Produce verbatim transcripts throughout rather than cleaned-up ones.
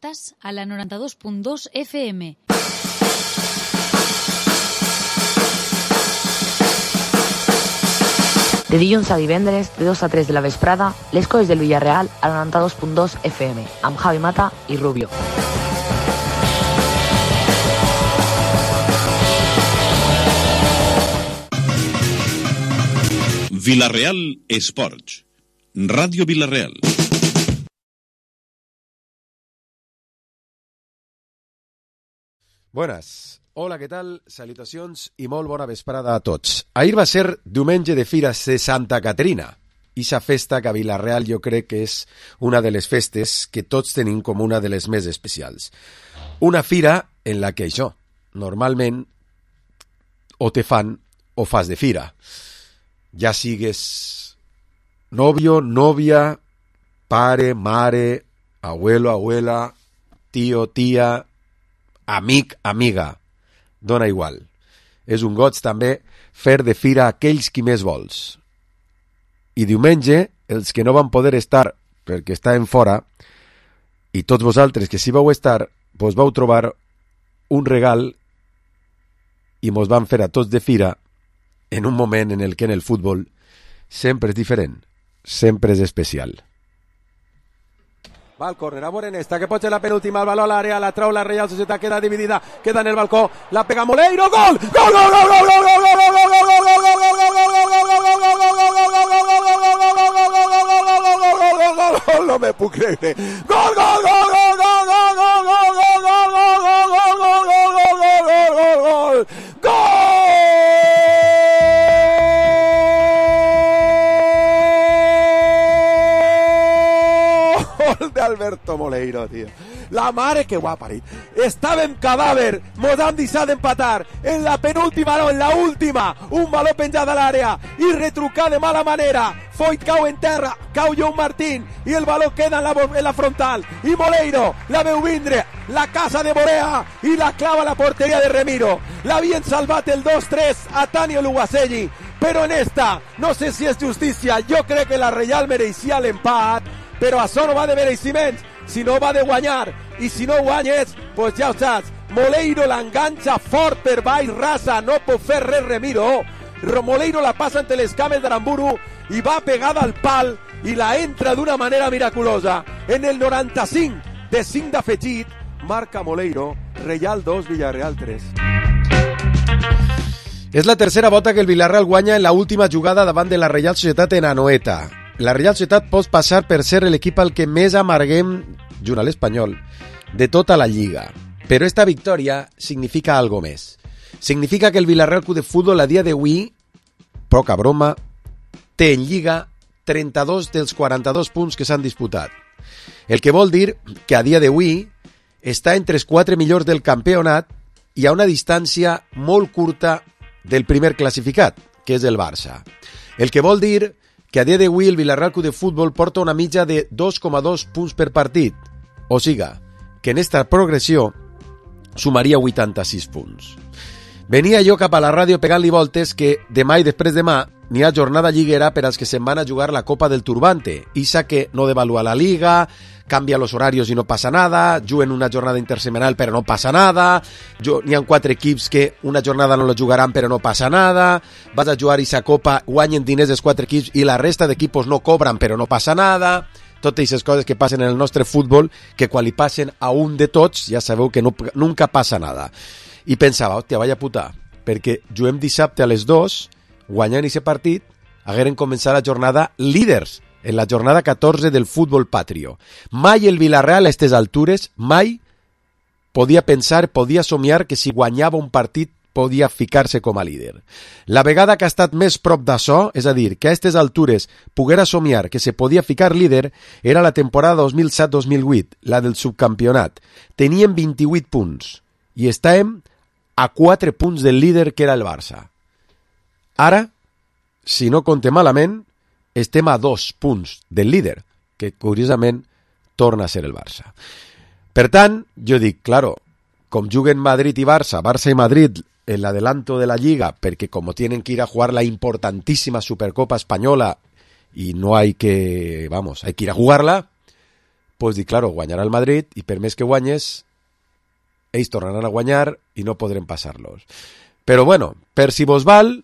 Estàs a la noranta-dos punt dos F M. De dilluns a divendres, de dos a tres de la vesprada, les coses del Villarreal a la noranta-dos punt dos F M, amb Javi Mata i Rubio. Villarreal Esports. Ràdio Villarreal. Buenas. Hola, què tal? Salutacions i molt bona vesprada a tots. Ahir va ser diumenge de Fires de Santa Caterina. Ixa festa que a Villarreal jo crec que és una de les festes que tots tenim com una de les més especials. Una fira en la que això, normalment, o te fan o fas de fira. Ja sigues novio, novia, pare, mare, abuelo, abuela, tio, tia, amic, amiga. Dona igual. És un goig també fer de fira aquells qui més vols. I diumenge, els que no van poder estar perquè estaven fora, i tots vosaltres que sí vau estar, vos vau trobar un regal i mos van fer a tots de fira en un moment en el que en el futbol sempre és diferent, sempre és especial. Va al córner, a Morenesta, que pot ser la penúltima, el baló a l'àrea, la trau la Reial Societat, queda dividida, queda en el balcó, la pega Moleiro, gol! Gol, gol, gol, gol, gol, gol, gol, gol, gol, gol, gol, gol, gol, gol, no me puc creure. Gol, gol, gol, gol, gol, gol, gol, gol, gol, gol, gol, gol, gol, gol, gol, gol, gol, de Alberto Moleiro, tío. La mare que ho ha parit. Estàvem cadàver, mos han deixat d'empatar en la penúltima, no, en la última. Un baló penjat a l'àrea i retrucat de mala manera. Foyt cau en terra, cau Joan Martín i el baló queda en la, en la frontal. I Moleiro la veu vindre, la casa de Borea i la clava a la porteria de Remiro. L'havien salvat el dos tres a Tanio Lugaselli, però en esta, no sé si és justícia, jo crec que la Reial mereixia l'empat, però això no va de mereixements, sinó va de guanyar, i si no guanyes, pues ja ho saps, Moleiro l'enganxa fort per baix, rasa, no pot fer res Remiro, Moleiro la passa entre les cames d'Aramburu i va pegada al pal i la entra d'una manera miraculosa. En el noranta-cinc de cinc d'afegit, marca Moleiro, Reial dos, Villarreal tres. És la tercera volta que el Villarreal guanya en la última jugada davant de la Reial Societat en Anoeta. La Reial Societat pot passar per ser l'equip al que més amarguem, junt a l'Espanyol, de tota la Lliga. Però esta victòria significa algo més. Significa que el Villarreal Club de Futbol a dia d'avui, poca broma, té en Lliga trenta-dos dels quaranta-dos punts que s'han disputat. El que vol dir que a dia d'avui està entre els quatre millors del campionat i a una distància molt curta del primer classificat, que és el Barça. El que vol dir que a dia d'avui el Villarreal Club de Futbol porta una mitja de dos coma dos punts per partit. O siga, que en esta progressió sumaria vuitanta-sis punts. Venia jo cap a la ràdio pegant-li voltes que demà i després demà n'hi ha jornada lliguera per als que se'n van a jugar la Copa del Turbante. Ixa que no devalua la Liga, cambia los horarios i no passa nada, juguen una jornada intersemanal però no passa nada, n'hi ha quatre equips que una jornada no la jugaran però no passa nada, vas a jugar ixa Copa, guanyen diners els quatre equips i la resta d'equipos no cobran però no passa nada. Totes aquestes coses que passen en el nostre futbol, que quan li passen a un de tots, ja sabeu que no, nunca passa nada. I pensava, hòstia, vaya puta, perquè juguem dissabte a les dues, guanyant aquest partit, hagueren començat la jornada líders, en la jornada catorze del futbol patrio. Mai el Villarreal a aquestes altures, mai podia pensar, podia somiar que si guanyava un partit podia ficar-se com a líder. La vegada que ha estat més prop d'això, és a dir, que a aquestes altures poguera somiar que se podia ficar líder, era la temporada dos mil set dos mil vuit, la del subcampionat. Teníem vint-i-vuit punts i estàvem a quatre punts del líder que era el Barça. Ara, si no compte malament, estem a dos punts del líder, que curiosament torna a ser el Barça. Per tant, jo dic, claro, com juguen Madrid i Barça, Barça i Madrid en l'adelanto de la Lliga, perquè com tienen que ir a jugar la importantísima Supercopa Española y no hay que, vamos, hay que ir a jugarla, pues dir, claro, guanyarà el Madrid i per més que guanyes, ells tornaran a guanyar i no podrem passar-los. Però bueno, per si vos val,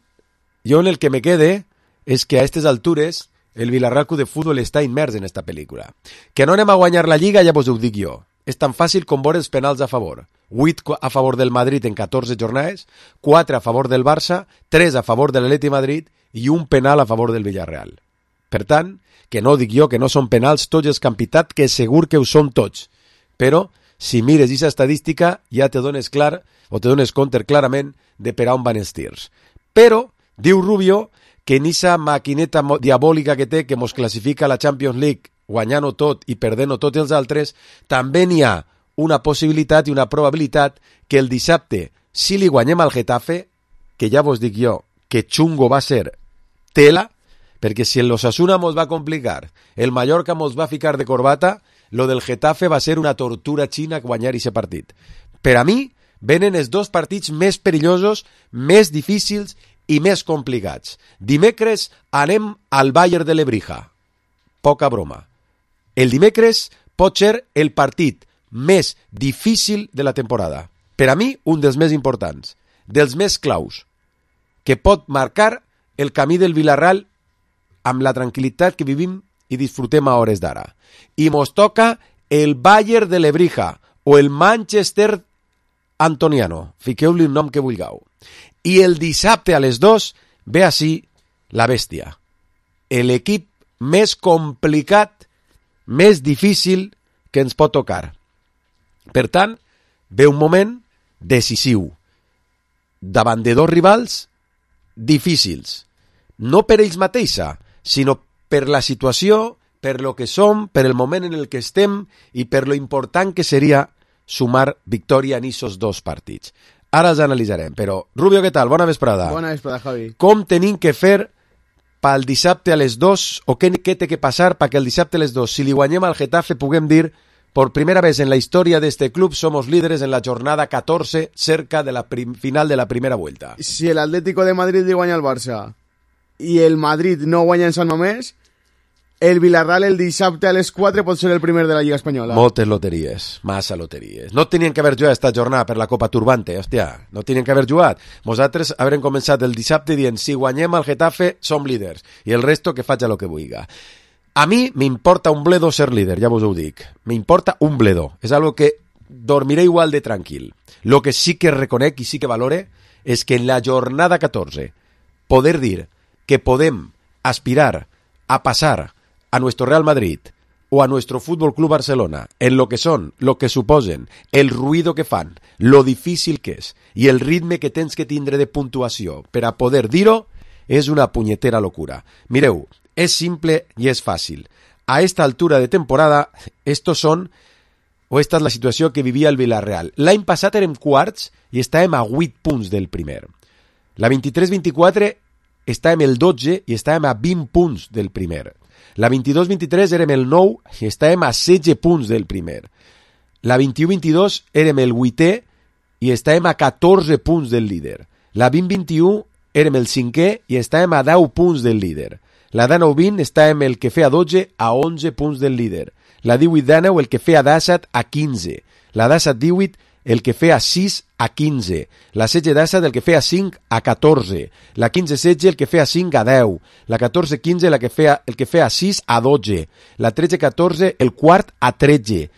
jo en el que me quede és que a aquestes altures el Villarreal Club de Fútbol està immers en esta pel·lícula. Que no anem a guanyar la Lliga, ja vos ho dic jo. És tan fàcil com veure els penals a favor. vuit a favor del Madrid en catorze jornades, quatre a favor del Barça, tres a favor de l'Atleti Madrid i un penal a favor del Villarreal. Per tant, que no dic jo que no són penals tots els que han pitat, que segur que ho són tots. Però, si mires aquesta estadística, ja te dones clar, o te dones compte clarament de per on van els tirs. Però, diu Rubio, que en aquesta maquineta diabòlica que té, que mos classifica a la Champions League, guanyant-ho tot i perdent-ho tots els altres, també n'hi ha una possibilitat i una probabilitat que el dissabte, si li guanyem al Getafe, que ja vos dic jo, que xungo va ser tela, perquè si el Osasuna mos va complicar, el Mallorca mos va ficar de corbata, lo del Getafe va ser una tortura xina guanyar aquest partit. Per a mi, venen els dos partits més perillosos, més difícils i més complicats. Dimecres anem al Bayern de Lebrija. Poca broma. El dimecres pot ser el partit més difícil de la temporada. Per a mi, un dels més importants, dels més claus, que pot marcar el camí del Villarreal amb la tranquil·litat que vivim i disfrutem a hores d'ara. I mos toca el Bayern de Lebrija o el Manchester Antoniano. Fiqueu-li un nom que vulgueu. I el dissabte a les dos ve així la bèstia. L'equip més complicat, més difícil que ens pot tocar. Per tant, ve un moment decisiu davant de dos rivals difícils. No per ells mateixa, sinó per la situació, per lo que som, per el moment en el que estem i per lo important que seria sumar victòria en aquests dos partits. Ara els analitzarem, però Rubio, què tal? Bona vesprada. Bona vesprada, Javi. Com tenim que fer pel dissabte a les dos, o què, què té que passar perquè el dissabte a les dos, si li guanyem al Getafe, puguem dir, por primera vez en la historia de este club, somos líderes en la jornada catorze, cerca de la final de la primera vuelta. Si el Atlético de Madrid li guanya al Barça i el Madrid no guanya en Sant Mamés, el Villarreal el dissabte a les quatre pot ser el primer de la Lliga Espanyola. Moltes loteries, massa loteries. No tenien que haver jugat esta jornada per la Copa Turbante, hòstia, no tenien que haver jugat. Nosaltres haurem començat el dissabte dient, si guanyem al Getafe, som líders, i el resto que faci lo que vulgui. A mi m'importa un bledo ser líder, ja vos ho dic. M'importa un bledo. És algo que dormiré igual de tranquil. Lo que sí que reconec i sí que valore és que en la jornada catorze poder dir que podem aspirar a passar a nuestro Real Madrid o a nuestro Fútbol Club Barcelona en lo que son, lo que suposen, el ruido que fan, lo difícil que és i el ritme que tens que tindre de puntuació per a poder dir-ho és una punyetera locura. Mireu, es simple y es fácil. A esta altura de temporada, estos son, o esta es la situació que vivia el Villarreal. L'any passat érem quarts i estàvem a vuit punts del primer. La vint-i-tres vint-i-quatre estàvem el dotze i estàvem a vint punts del primer. La vint-i-dos vint-i-tres érem el nou i estàvem a setze punts del primer. La vint-i-u vint-i-dos érem el vuitè i estàvem a catorze punts del líder. La vint vint-i-u érem el cinquè i estàvem a deu punts del líder. La dinou vint estàvem el que feia dotze a onze punts del líder. La divuit dinou el que feia disset a quinze. La disset divuit el que feia sis a quinze. La setze disset el que feia cinc a catorze. La quinze setze el que feia cinc a deu. La catorze quinze la que feia, el que feia sis a dotze. La tretze catorze el quart a tretze.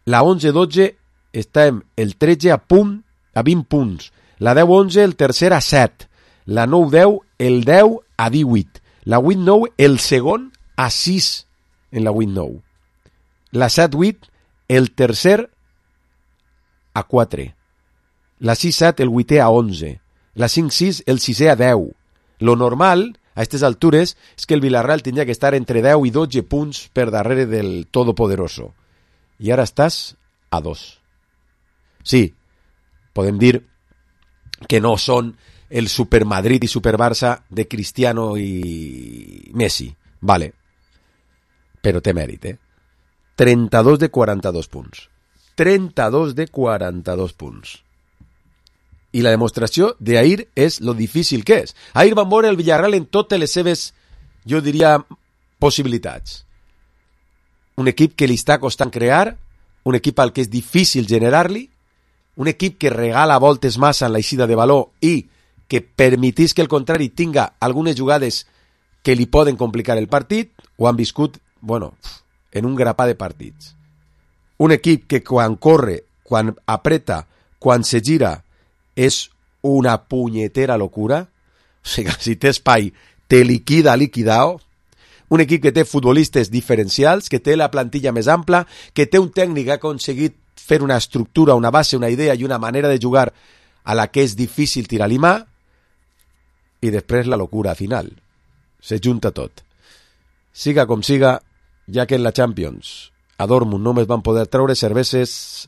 La onze dotze estàvem el tretze a punt a vint punts. La deu onze el tercer a set. La nou deu el deu a divuit. La vuit nou, el segon a sis en la vuit nou. La set vuit, el tercer a quatre. La sis set, el vuitè a onze. La cinc sis, el sisè a deu. Lo normal, a aquestes altures, és que el Villarreal tindria que estar entre deu i dotze punts per darrere del Todopoderoso. I ara estàs a dos. Sí, podem dir que no són el Super Madrid i Super Barça de Cristiano i Messi, vale, però té mèrit, eh? trenta-dos de quaranta-dos punts. trenta-dos de quaranta-dos punts. I la demostració d'ahir és lo difícil que és. Ahir van veure el Villarreal en totes les seves, jo diria, possibilitats. un equip que li està costant crear, un equip al que és difícil generar-li, un equip que regala voltes massa en l'eixida de valor i que permetís que el contrari tinga algunes jugades que li poden complicar el partit, ho han viscut, bueno, en un grapà de partits. Un equip que quan corre, quan apreta, quan se gira, és una punyetera locura. O sigui, si té espai, te liquida liquidao. Un equip que té futbolistes diferencials, que té la plantilla més ampla, que té un tècnic que ha aconseguit fer una estructura, una base, una idea i una manera de jugar a la que és difícil tirar-li mà, i després la locura final. Se junta tot. Siga com siga, ja que en la Champions a Dortmund només van poder treure cerveses,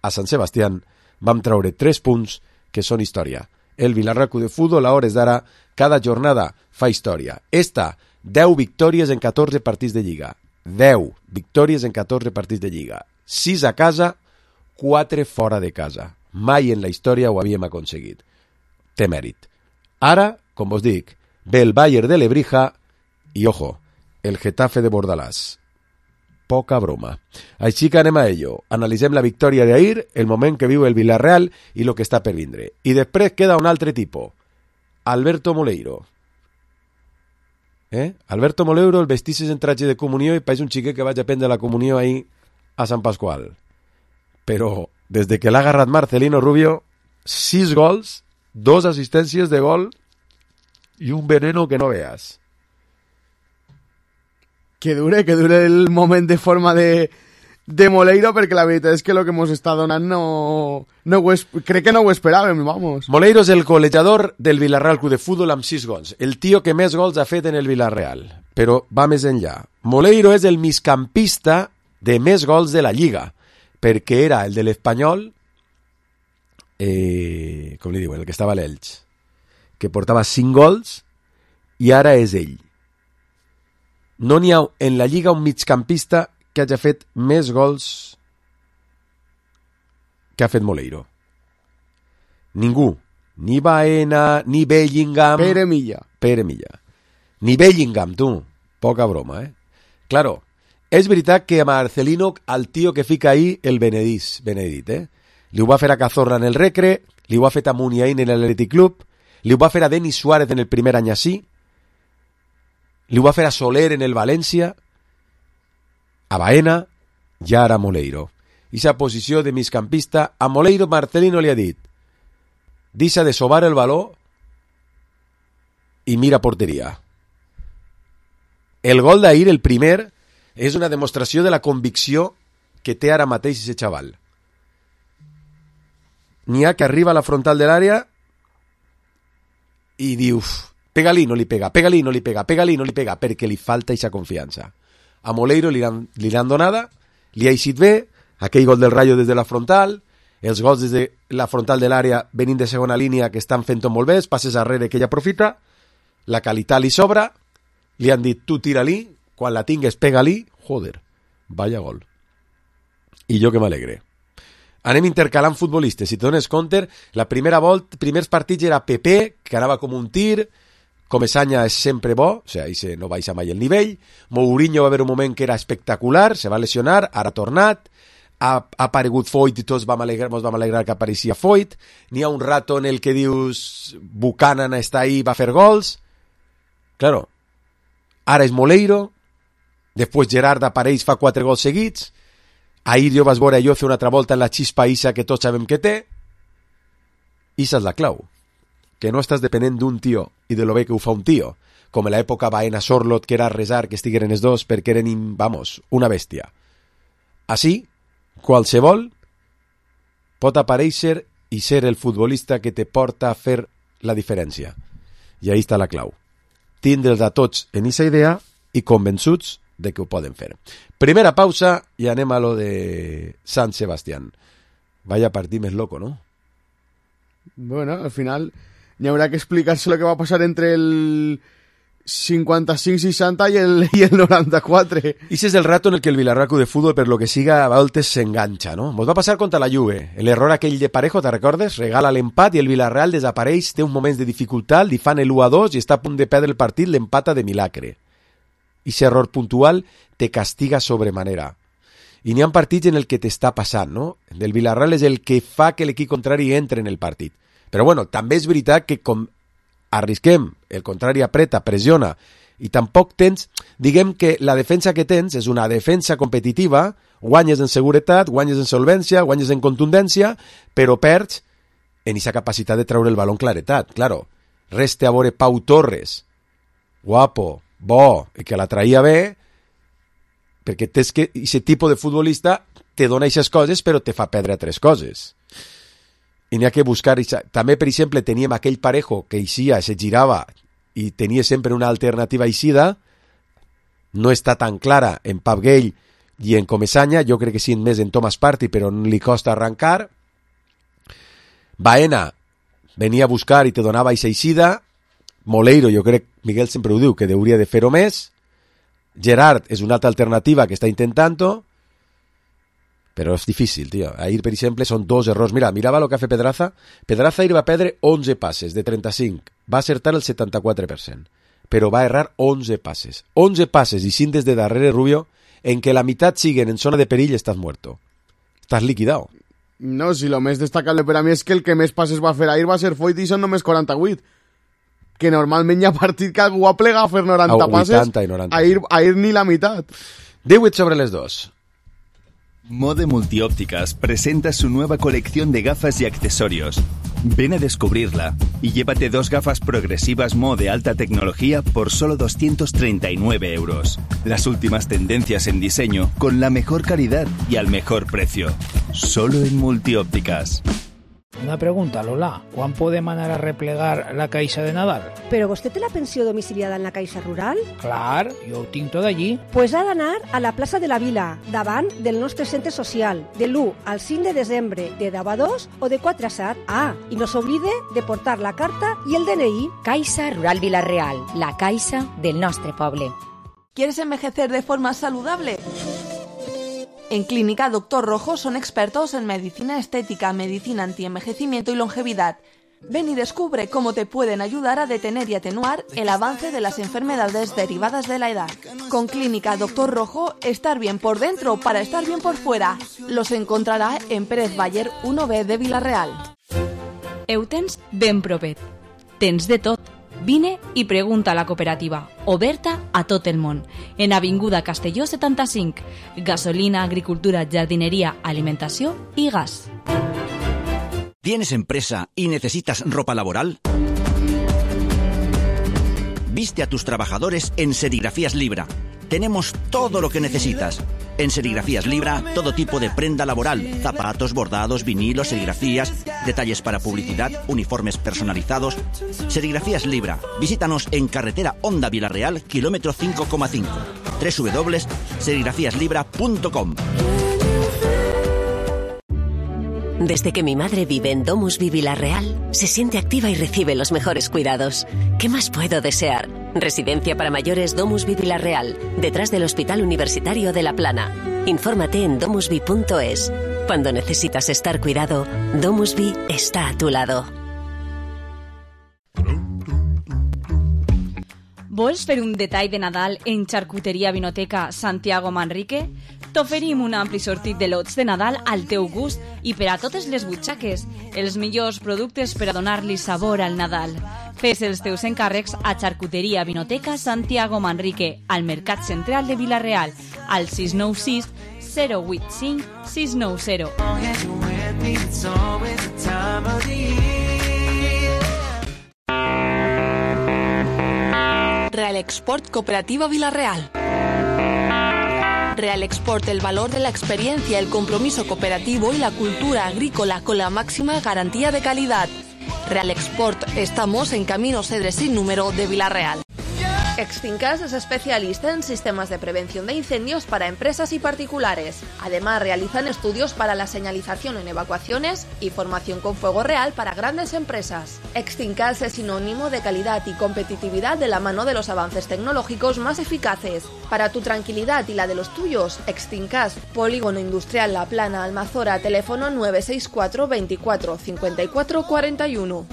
a Sant Sebastián vam treure tres punts que són història. El Villarreal de Futbol, a hores d'ara, cada jornada fa història. Esta, deu victòries en catorze partits de Lliga. deu victòries en catorze partits de Lliga. sis a casa, quatre fora de casa. Mai en la història ho havíem aconseguit. Té mèrit. Ara, com vos dic, ve el Bayern de Lebrija i, ojo, el Getafe de Bordalàs. Poca broma. Així que anem a ello. Analitzem la victòria d'ahir, el moment que viu el Villarreal i el que està per vindre. I després queda un altre tipus. Alberto Moleiro. Eh? Alberto Moleiro el vestisses en traje de comunió i pareix un xiquet que vaig a prendre la comunió ahir a Sant Pasqual. Però des de que l'ha agarrat Marcelino Rubio, sis gols, dos assistències de gol i un veneno que no veas. Que dure, que dure el moment de forma de, de Moleiro, perquè la veritat és que el que ens està donant no, no ho es, crec que no ho esperàvem, vamos. Moleiro és el golejador del Villarreal Club de Futbol amb sis gols. El tio que més gols ha fet en el Villarreal. Però va més enllà. Moleiro és el migcampista de més gols de la Lliga, perquè era el de l'Espanyol, eh, com li diuen, el que estava a l'Elx, que portava cinc gols, i ara és ell. No n'hi ha en la Lliga un migcampista que hagi fet més gols que ha fet Moleiro. Ningú. Ni Baena, ni Bellingham... Pere Milla. Pere Milla. Ni Bellingham, tu. Poca broma, eh? Claro, és veritat que a Marcelino, al tio que fica ahí, el Benedís, Benedit, eh? Li ho va fer a Cazorla en el Recre, li ho va fer a Muniain en l'Athletic Club, li ho va fer a Denis Suárez en el primer any així, li ho va fer a Soler en el València, a Baena i ara a Moleiro. Ixa posició de migcampista, a Moleiro Marcelino li ha dit: deixa de sobar el valor i mira porteria. El gol d'ahir, el primer, és una demostració de la convicció que té ara mateix aquest xaval. N'hi ha que arriba a la frontal de l'àrea i diu: pega-li, no li pega, pega-li, no li pega, pega-li, no li pega, perquè li falta aquesta confiança. A Moleiro li han, li han donada, li ha eixit bé, aquell gol del Rayo des de la frontal, els gols des de la frontal de l'àrea venint de segona línia que estan fent-ho molt bé, els passes arrere que ella aprofita, la qualitat li sobra, li han dit: tu tira-li, quan la tingues pega-li, joder, vaya gol. I jo que m'alegre. Anem intercalant futbolistes. Si te dones compte, la primera volta, primers partits era Pepe, que anava com un tir, Comesaña és sempre bo, o sigui, ese no baixa mai el nivell, Mourinho va haver un moment que era espectacular, se va lesionar, ara ha tornat, ha, ha aparegut Foyt i tots vam alegrar, mos vam alegrar que apareixia Foyt, n'hi ha un rato en el que dius Buchanan està ahí, va fer gols, claro, ara és Moleiro, després Gerard apareix, fa quatre gols seguits, ahir jo vas veure allò fer una altra volta en la xispa Isa que tots sabem que té, Isa és la clau, que no estàs depenent d'un tio i de lo bé que ho fa un tio, com en l'època Baena Sorlot, que era resar que estigueren els dos perquè eren, vamos, una bèstia. Així, qualsevol pot aparèixer i ser el futbolista que te porta a fer la diferència. I ahí està la clau. Tindre'ls a tots en aquesta idea i convençuts de que ho poden fer. Primera pausa i anem a lo de Sant Sebastián. Vaya partit més loco, ¿no? Bueno, al final n'hi haurà que explicar-se lo que va passar entre el cinquanta-cinc seixanta i el, i el noranta-quatre. Ese és el rato en el que el Villarreal de Fútbol, per lo que siga, a voltes s'enganxa, no? Mos va passar contra la Juve. L'error aquell de Parejo, te recordes? Regala l'empat i el Villarreal desapareix, té uns moments de dificultat, li fan el u a dos i està a punt de perdre el partit, l'empata de milagre. i ese error puntual te castiga sobremanera. I n'hi ha partits en el que t'està passant, no? El Villarreal és el que fa que l'equip contrari entre en el partit. Però bueno, també és veritat que com arrisquem, el contrari apreta, pressiona, i tampoc tens, diguem que la defensa que tens és una defensa competitiva, guanyes en seguretat, guanyes en solvència, guanyes en contundència, però perds en aquesta capacitat de treure el baló en claretat. Claro, reste a veure Pau Torres, guapo, bo, i que la traïa bé, perquè tens que aquest tipus de futbolista te dona aquestes coses però te fa perdre tres coses. I n'hi ha que buscar... També, per exemple, teníem aquell Parejo que eixia, se girava i tenia sempre una alternativa eixida. No està tan clara en Pep Gale i en Comesaña. Jo crec que sí més en Thomas Partey, però no li costa arrencar. Baena venia a buscar i te donava aquesta eixida. Moleiro, jo crec, Miguel sempre ho diu, que hauria de fer-ho més. Gerard és una altra alternativa que està intentant-ho, però és difícil, tio. Ahir, per exemple, són dos errors. Mira, mirava el que ha fet Pedraza. Pedraza ahir va perdre onze passes de trenta-cinc. Va acertar el setanta-quatre per cent. Però va errar onze passes. onze passes i cinc des de darrere, Rubio, en què la meitat siguen en zona de perill, estàs muerto. Estàs liquidado. No, si lo més destacable per a mi és que el que més passes va fer ahir va ser Foyt i són només quaranta-vuit. Que normalment hi ha partit que algú ha plegat a fer noranta passes. vuitanta i noranta. Ahir, ahir ni la meitat. divuit sobre les dos. Mode Multiópticas presenta su nueva colección de gafas y accesorios. Ven a descubrirla y llévate dos gafas progresivas Mo de alta tecnología por solo doscientos treinta y nueve euros. Las últimas tendencias en diseño con la mejor calidad y al mejor precio. Solo en Multiópticas. Una pregunta, Lola. ¿Quan podem anar a replegar la caixa de Nadal? ¿Pero vostè té la pensió domiciliada en la Caixa Rural? Clar, jo ho tinc tot allí. Pues ha d'anar a la plaça de la Vila, davant del nostre centre social, de l'u al cinc de desembre, de deu a dos o de quatre a set. Ah, i no s'oblide de portar la carta i el D N I. Caixa Rural Vila-real, la caixa del nostre poble. ¿Quieres envejecer de forma saludable? En Clínica Doctor Rojo son expertos en medicina estética, medicina antienvejecimiento y longevidad. Ven y descubre cómo te pueden ayudar a detener y atenuar el avance de las enfermedades derivadas de la edad. Con Clínica Doctor Rojo, estar bien por dentro para estar bien por fuera. Los encontrará en Pérez Bayer uno B de Vila-real. Heu tens ben propet. Tens de tot. Vine i pregunta a la cooperativa, oberta a tot el món, en Avinguda Castelló setanta-cinc, gasolina, agricultura, jardinería, alimentació i gas. ¿Tienes empresa y necesitas ropa laboral? Viste a tus trabajadores en Serigrafías Libra. Tenemos todo lo que necesitas. En Serigrafías Libra, todo tipo de prenda laboral, zapatos, bordados, vinilos, serigrafías, detalles para publicidad, uniformes personalizados. Serigrafías Libra. Visítanos en carretera Honda Vila-real, kilómetro cinco coma cinco. doble u doble u doble u punto serigrafías libra punto com. Desde que mi madre vive en Domusvi Vila-real, se siente activa y recibe los mejores cuidados. ¿Qué más puedo desear? Residencia para mayores Domusvi Vila-real, detrás del Hospital Universitario de La Plana. Infórmate en domusvi punto es. Cuando necesitas estar cuidado, Domusvi está a tu lado. Vols fer un detall de Nadal en Charcuteria Vinoteca Santiago Manrique? T'oferim un ampli sortit de lots de Nadal al teu gust i per a totes les butxaques, els millors productes per a donar-li sabor al Nadal. Fes els teus encàrrecs a Charcuteria Vinoteca Santiago Manrique, al Mercat Central de Vila-real, al sis nou sis zero vuit cinc sis nou zero. Real Export Cooperativa Vila-real. Real Export, el valor de la experiencia, el compromiso cooperativo y la cultura agrícola con la máxima garantía de calidad. Real Export, estamos en Camino Cedres sin número de Vila-real. Extincas es especialista en sistemas de prevención de incendios para empresas y particulares. Además, realizan estudios para la señalización en evacuaciones y formación con fuego real para grandes empresas. Extincas es sinónimo de calidad y competitividad de la mano de los avances tecnológicos más eficaces. Para tu tranquilidad y la de los tuyos, Extincas, Polígono Industrial La Plana, Almazora, teléfono nueve seis cuatro veinticuatro cincuenta y cuatro cuarenta y uno.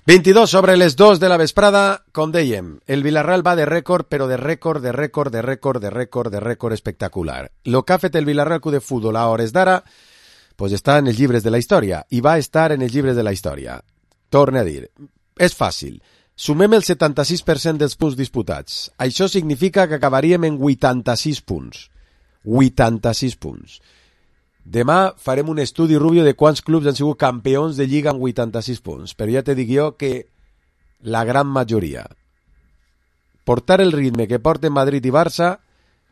veintidós sobre les dos de la vesprada, com dèiem, el Villarreal va de rècord, però de rècord, de rècord, de rècord, de rècord, de rècord espectacular. Lo que ha fet el Villarreal Club de Futbol a hores d'ara, pues està en els llibres de la història, i va estar en els llibres de la història. Torne a dir, és fàcil. Sumem el setanta-sis per cent dels punts disputats. Això significa que acabaríem en vuitanta-sis punts. vuitanta-sis punts. Demà farem un estudi, Rubio, de quants clubs han sigut campions de Lliga amb vuitanta-sis punts. Però ja te dic jo que la gran majoria. Portar el ritme que porten Madrid i Barça,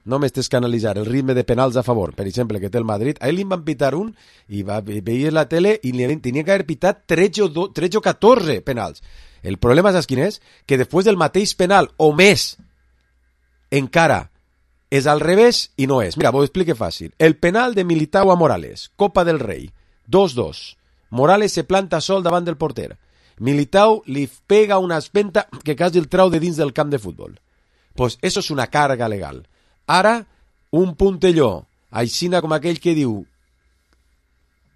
no m'estés que analitzar el ritme de penals a favor, per exemple, que té el Madrid. A ell li van pitar un i va, veia la tele i li tenia que haver pitat tretze o catorze penals. El problema, saps quin és? Que després del mateix penal, o més, encara és al revés i no és. Mira, vos ho explique fàcil. El penal de Militao a Morales, Copa del Rei, dos dos. Morales se planta sol davant del porter. Militao li pega una espenta que quasi el trau de dins del camp de futbol. Pues eso és una càrrega legal. Ara, un puntelló, aixina com aquell que diu,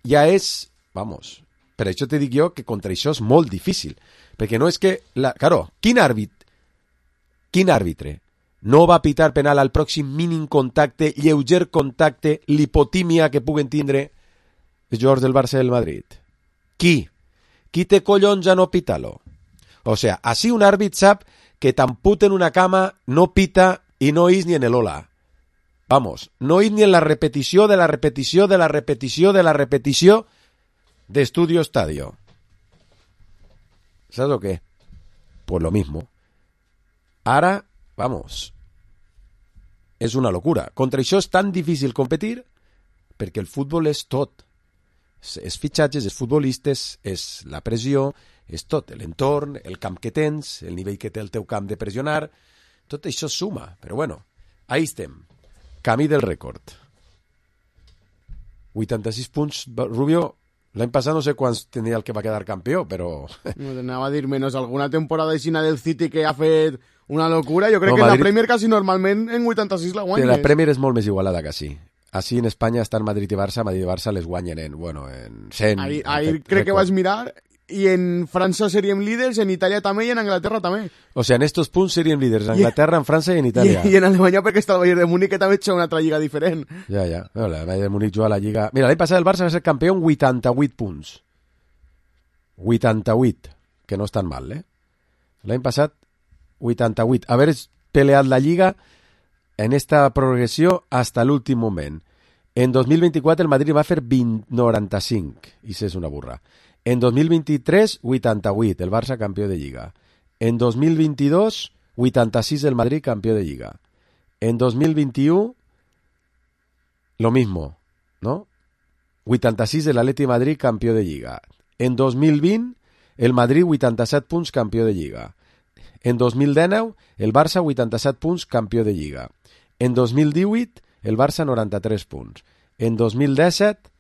ja és, vamos, per això te dic jo que contra això és molt difícil, perquè no és que, la, claro, quin àrbit, quin àrbitre no va pitar penal al pròxim mínim contacte, lleuger contacte, l'hipotímia que puguen tindre els jugadors del Barça i del Madrid? Qui? Qui té collons a no pitar-lo? O sea, així un àrbit sap que t'amputen una cama, no pita i no és ni en el hola. Vamos, no és ni en la repetició de la repetició de la repetició de la repetició d'Estudio Estadio. ¿Sabes lo qué? Pues lo mismo. Ara, vamos, és una locura. Contra això és tan difícil competir perquè el futbol és tot. És fitxatges, és futbolistes, és la pressió, és tot, l'entorn, el camp que tens, el nivell que té el teu camp de pressionar, tot això suma, però bueno, ahí estem, camí del rècord. vuitanta-sis punts, Rubio, l'any passat no sé quants tenia el que va quedar campió, però... No t'anava a dir menys alguna temporada aixina del City que ha fet una locura, jo crec no, que Madrid... en la Premier quasi normalment en vuitanta-sis la guanyes. La Premier és molt més igualada que sí. Així en Espanya estan Madrid i Barça, Madrid i Barça les guanyen en, bueno, en cent... Ahir, ahir crec que vaig mirar i en França seríem líders, en Itàlia també i en Anglaterra també. O sea, en estos punts seríem líders en Anglaterra, en França i en Itàlia. I, i en Alemanya perquè està el Bayern de Múnich que també ha una altra lliga diferent. Ja, ja. No, el Bayern de Múnich juga a la lliga... Mira, l'any passat el Barça va ser campió amb vuitanta-vuit punts. vuitanta-vuit, que no és tan mal, eh? L'any passat, vuitanta-vuit. Haver peleat la lliga en esta progressió hasta l'últim moment. En dos mil vint-i-quatre el Madrid va fer vint, noranta-cinc, i això és una burra. En dos mil vint-i-tres, vuitanta-vuit, el Barça campió de Lliga. En dos mil vint-i-dos, vuitanta-sis, el Madrid campió de Lliga. En dos mil vint-i-u, lo mismo, ¿no? vuitanta-sis, el Atleti Madrid campió de Lliga. En dos mil vint, el Madrid vuitanta-set punts campió de Lliga. En dos mil dinou, el Barça vuitanta-set punts campió de Lliga. En dos mil divuit, el Barça noranta-tres punts. En dos mil disset,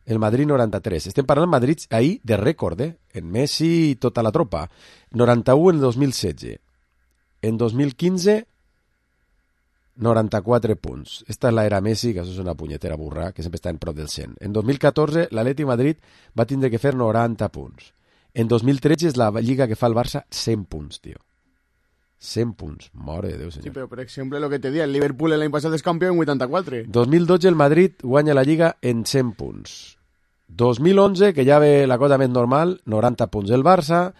el Madrid noranta-tres. Estem parlant Madrid ahir de rècord, eh? En Messi i tota la tropa. noranta-u en dos mil setze. En dos mil quinze, noranta-quatre punts. Esta és l'era Messi, que això és una punyetera burra, que sempre està en prop del cent. En dos mil catorze, l'Atleti Madrid va tindre que fer noranta punts. En dos mil tretze és la lliga que fa el Barça cent punts, tio. cent punts, mare de Déu, senyor. Sí, però per exemple, lo que te dia, el Liverpool l'any passat és campió en vuitanta-quatre. dos mil dotze el Madrid guanya la Lliga en cent punts. dos mil onze, que ja ve la cosa més normal, noranta punts el Barça.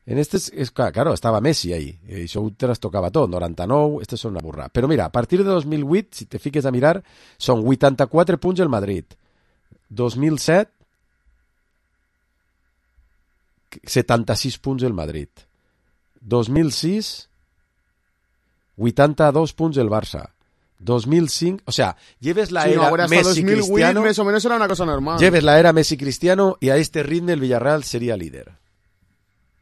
En este, es, claro, estava Messi ahí, i això ho trastocava tot, noranta-nou, este és una burra. Però mira, a partir de dos mil vuit, si te fiques a mirar, són vuitanta-quatre punts el Madrid. dos mil set, setanta-sis punts el Madrid. dos mil sis, vuitanta-dos punts el Barça. dos mil cinc, o sea, lleves la sí, era no, Messi-Cristiano, más o menos era una cosa normal. Lleves la era Messi-Cristiano y a este ritme el Villarreal sería líder.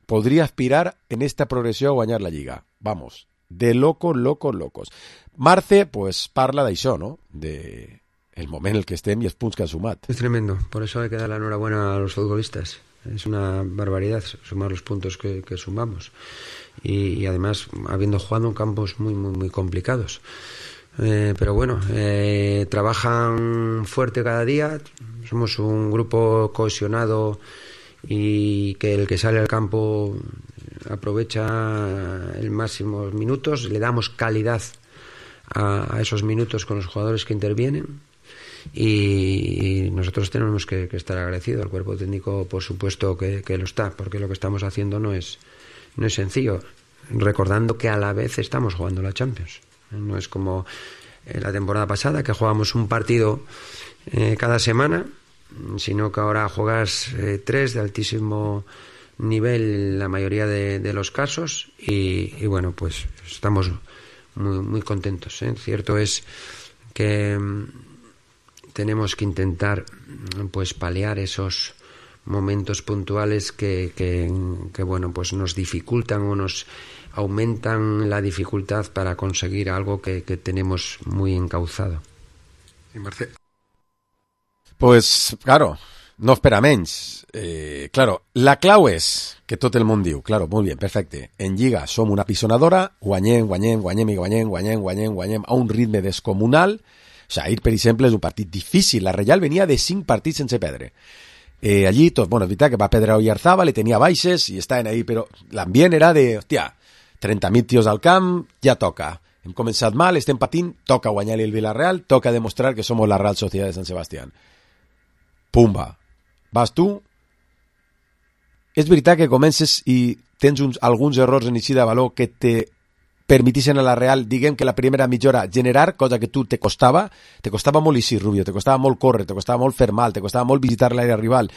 Podría aspirar en esta progresión a guanyar la Lliga. Vamos, de locos, locos, locos. Marce, pues, parla d'això, no? De el moment en el que estem i els punts que han sumat. Es tremendo, por eso hay que dar la enhorabuena a los futbolistas. Es una barbaridad sumar los puntos que, que sumamos. Y, y además, habiendo jugado en campos muy, muy, muy complicados. Eh, pero bueno, eh, trabajan fuerte cada día. Somos un grupo cohesionado y que el que sale al campo aprovecha el máximo minutos, le damos calidad a, a esos minutos con los jugadores que intervienen y, y nosotros tenemos que, que estar agradecidos al cuerpo técnico, por supuesto que, que lo está, porque lo que estamos haciendo no es, no es sencillo, recordando que a la vez estamos jugando la Champions. No es como en la temporada pasada que jugábamos un partido eh, cada semana, sino que ahora juegas eh, tres de altísimo nivel en la mayoría de, de los casos y, y bueno, pues estamos muy, muy contentos, ¿eh? Cierto es que mm, tenemos que intentar pues paliar esos momentos puntuales que, que, que bueno, pues nos dificultan o nos aumentan la dificultad para conseguir algo que, que tenemos muy encauzado. Sí, Marce. Pues, claro, no espera menys. Eh, claro, la clau és que tot el món diu, claro, molt bé, perfecte. En Lliga som una pisonadora, guanyem, guanyem, guanyem i guanyem, guanyem, guanyem, guanyem a un ritme descomunal. O sigui, ahir, per exemple, és un partit difícil. La Reial venia de cinc partits sense perdre. Eh, allí, tot, bueno, és veritat que va perdre Oyarzabal, le tenia baixes i estaven ahí, però l'ambient era de, hòstia, trenta mil tios al camp, ja toca. Hem començat mal, estem patint, toca guanyar-li el Villarreal, toca demostrar que som la Real Sociedad de Sant Sebastián. Pumba. Vas tu. És veritat que comences i tens uns, alguns errors en eixida de valor que te permetixen a la Real, diguem que la primera mitja hora generar, cosa que tu te costava, te costava molt eixir, Rubio, te costava molt córrer, te costava molt fer mal, te costava molt visitar l'àrea rival.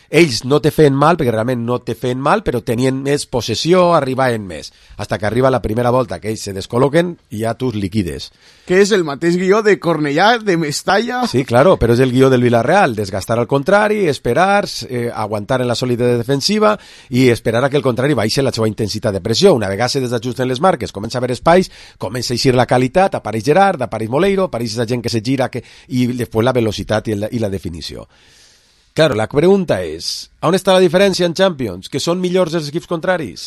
Ells no te feien mal, perquè realment no te feien mal, però tenien més possessió, arribaven més. Hasta que arriba la primera volta, que ells se descol·loquen i ja tu liquides. Que és el mateix guió de Cornellà, de Mestalla... Sí, claro, però és el guió del Villarreal, desgastar al contrari, esperar, eh, aguantar en la solidesa defensiva i esperar a que el contrari baixi la seva intensitat de pressió. Una vegada se desajusten les marques, comença a haver espais, comença a eixir la qualitat, apareix Gerard, apareix Moleiro, apareix la gent que se gira que... i després la velocitat i la, i la definició. Claro, la pregunta és, on està la diferència en Champions? Que són millors els equips contraris?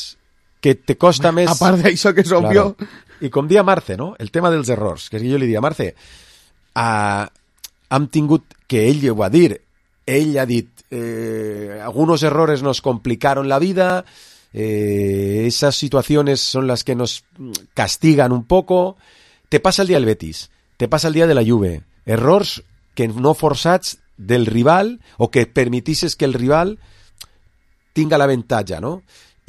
Que te costa més... A part d'això que és obvio... Claro. I com dia Marce, no? El tema dels errors, que jo li dia, Marce, uh, hem tingut, que ell ho va dir, ell ha dit, eh, algunos errores nos complicaron la vida, eh, esas situaciones son las que nos castigan un poco. Te passa el dia del Betis, te passa el dia de la Juve, errors que no forçats del rival o que permitisses que el rival tinga l'avantatge, no?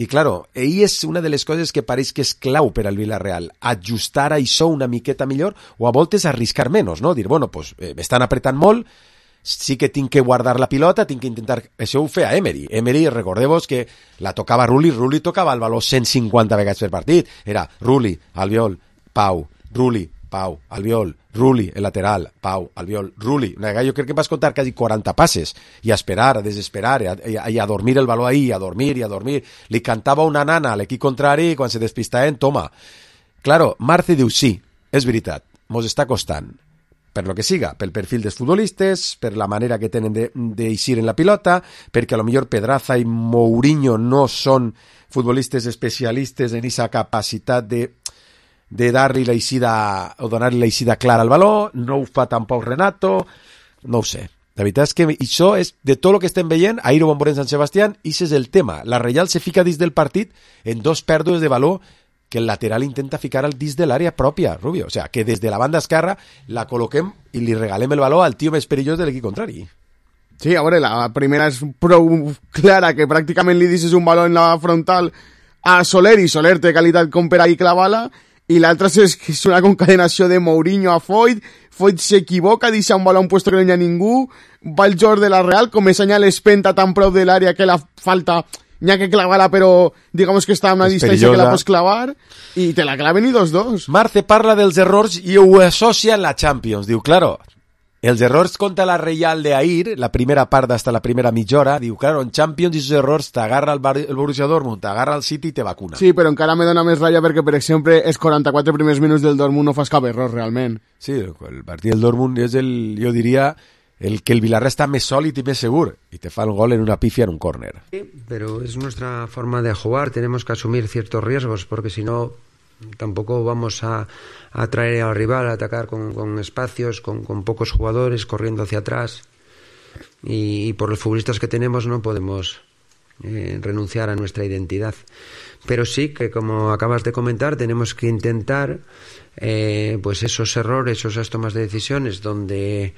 I, claro, ahí és una de les coses que pareix que és clau per al Villarreal, ajustar això una miqueta millor o a voltes arriscar menys, no? Dir, bueno, pues, eh, m'estan apretant molt, sí que tinc que guardar la pilota, tinc que intentar... Això ho feia Emery. Emery, recordeu-vos que la tocava Rulli, Rulli tocava el valor cent cinquanta vegades per partit. Era Rulli, Albiol, Pau, Rulli, Pau, Albiol, Rulli, el lateral, Pau, Albiol, Rulli. Una vegada jo crec que vas contar quasi quaranta passes i a esperar, a desesperar, i a, i a, i a dormir el valor ahí, a dormir i a dormir. Li cantava una nana a l'equip contrari i quan se despistaven, toma. Claro, Marce diu, sí, és veritat, mos està costant. Per lo que siga, pel perfil dels futbolistes, per la manera que tenen d'eixir en la pilota, perquè a lo millor Pedraza i Mourinho no són futbolistes especialistes en esa capacitat de de dar-li la eixida o donar-li la eixida clara al valor, no ho fa tampoc Renato, no ho sé. La veritat és que això és, de tot el que estem veient, ahir ho vam veure en Sant Sebastián, i això és el tema. La Reial se fica dins del partit en dos pèrdues de valor que el lateral intenta ficar al dins de l'àrea pròpia, Rubio. O sea, que des de la banda esquerra la col·loquem i li regalem el valor al tio més perillós de l'equip contrari. Sí, a veure, la primera és prou clara, que pràcticament li deixes un valor en la frontal a Soler, i Soler té qualitat com per ahí clavar-la, i l'altra és que és una concadenació de Mourinho a Foyt, Foyt s'equivoca, deixa un baló a un puesto que no hi ha ningú, va el joc de la Real, comença a l'espenta tan prou de l'àrea que la falta n'hi ha que clavar-la, però digamos que està a una és distància perillosa, que la pots clavar, i te la claven i dos dos. Marce parla dels errors i ho associa en la Champions, diu, claro, els errors contra la Reial de ahir, la primera part hasta la primera mitja hora, diu, claro, en Champions esos errors t'agarra el, Bar el Borussia Dortmund, t'agarra el City i te vacuna. Sí, però encara me dona més ràbia perquè, per exemple, els quaranta-quatre primers minuts del Dortmund no fas cap error, realment. Sí, el partit del Dortmund és el, jo diria, el que el Villarreal está más sólido y más seguro y te fa el gol en una pifia en un córner. Sí, pero es nuestra forma de jugar, tenemos que asumir ciertos riesgos porque si no tampoco vamos a, a traer al rival a atacar con, con espacios, con, con pocos jugadores corriendo hacia atrás y, y por los futbolistas que tenemos no podemos eh, renunciar a nuestra identidad. Pero sí que, como acabas de comentar, tenemos que intentar eh, pues esos errores, esas tomas de decisiones donde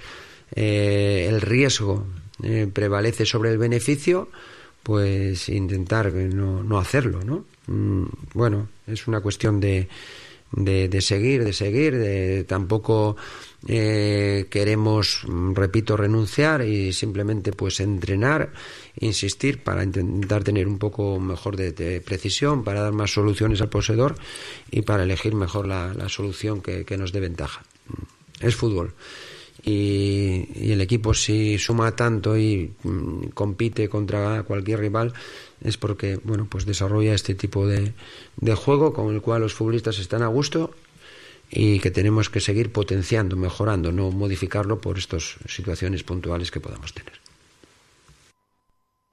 eh, el riesgo eh, prevalece sobre el beneficio, pues intentar no, no hacerlo, ¿no? Mm, bueno, es una cuestión de, de, de seguir, de seguir, de tampoco eh, queremos, repito, renunciar y simplemente pues entrenar, insistir para intentar tener un poco mejor de, de precisión, para dar más soluciones al poseedor y para elegir mejor la, la solución que, que nos dé ventaja. Es fútbol. Y, y el equipo, si suma tanto y mm, compite contra cualquier rival, es porque, bueno, pues desarrolla este tipo de, de juego con el cual los futbolistas están a gusto y que tenemos que seguir potenciando, mejorando, no modificarlo por estas situaciones puntuales que podamos tener.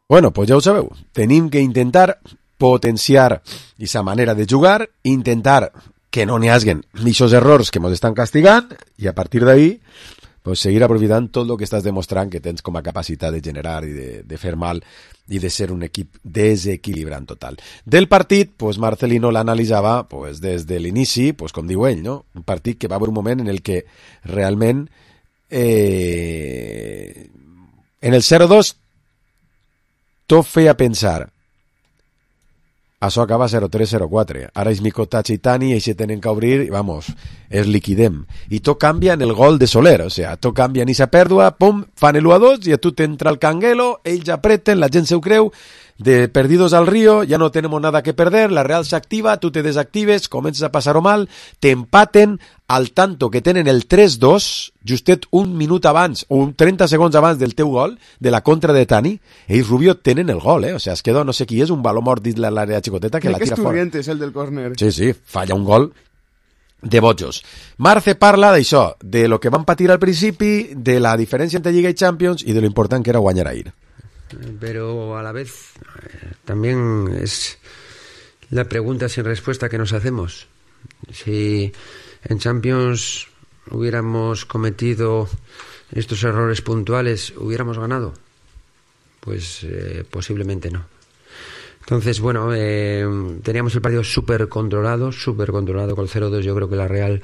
Bueno, pues ja ho sabeu, tenim que intentar potenciar esa manera de jugar, intentar que no n'hi haguen aquests errors que ens estan castigant i a partir d'ahí pues seguir aprofitant tot el que estàs demostrant que tens com a capacitat de generar i de, de fer mal i de ser un equip desequilibrant total. Del partit, pues Marcelino l'analitzava pues, des de l'inici, pues, com diu ell, no? Un partit que va haver un moment en el que realment eh, en el zero dos tot feia pensar això acaba zero tres zero quatre. Ara és Mikotachi i Tani, i se tenen que obrir, i vamos, es liquidem. I tot canvia en el gol de Soler, o sea, tot canvia en esa pèrdua, pum, fan el u a dos, i a tu t'entra el canguelo, ells apreten, la gent se ho creu, de perdidos al río, ya no tenemos nada que perder, la Real se activa, tú te desactives, comienzas a pasar-ho mal, te empaten, al tanto que tenen el tres dos, justet un minut abans, o un trenta segons abans del teu gol, de la contra de Tani, ells Rubio tenen el gol, eh? O sea, es queda no sé qui és, un baló mort dins l'àrea xicoteta que crec la que tira fora. Crec que és el del córner. Sí, sí, falla un gol de bojos. Marce parla d'això, de lo que van patir al principi, de la diferència entre Lliga i Champions i de lo important que era guanyar ahir. Pero a la vez eh, también es la pregunta sin respuesta que nos hacemos. Si en Champions hubiéramos cometido estos errores puntuales, ¿hubiéramos ganado? Pues eh, posiblemente no. Entonces, bueno, eh, teníamos el partido súper controlado, súper controlado con el cero dos. Yo creo que la Real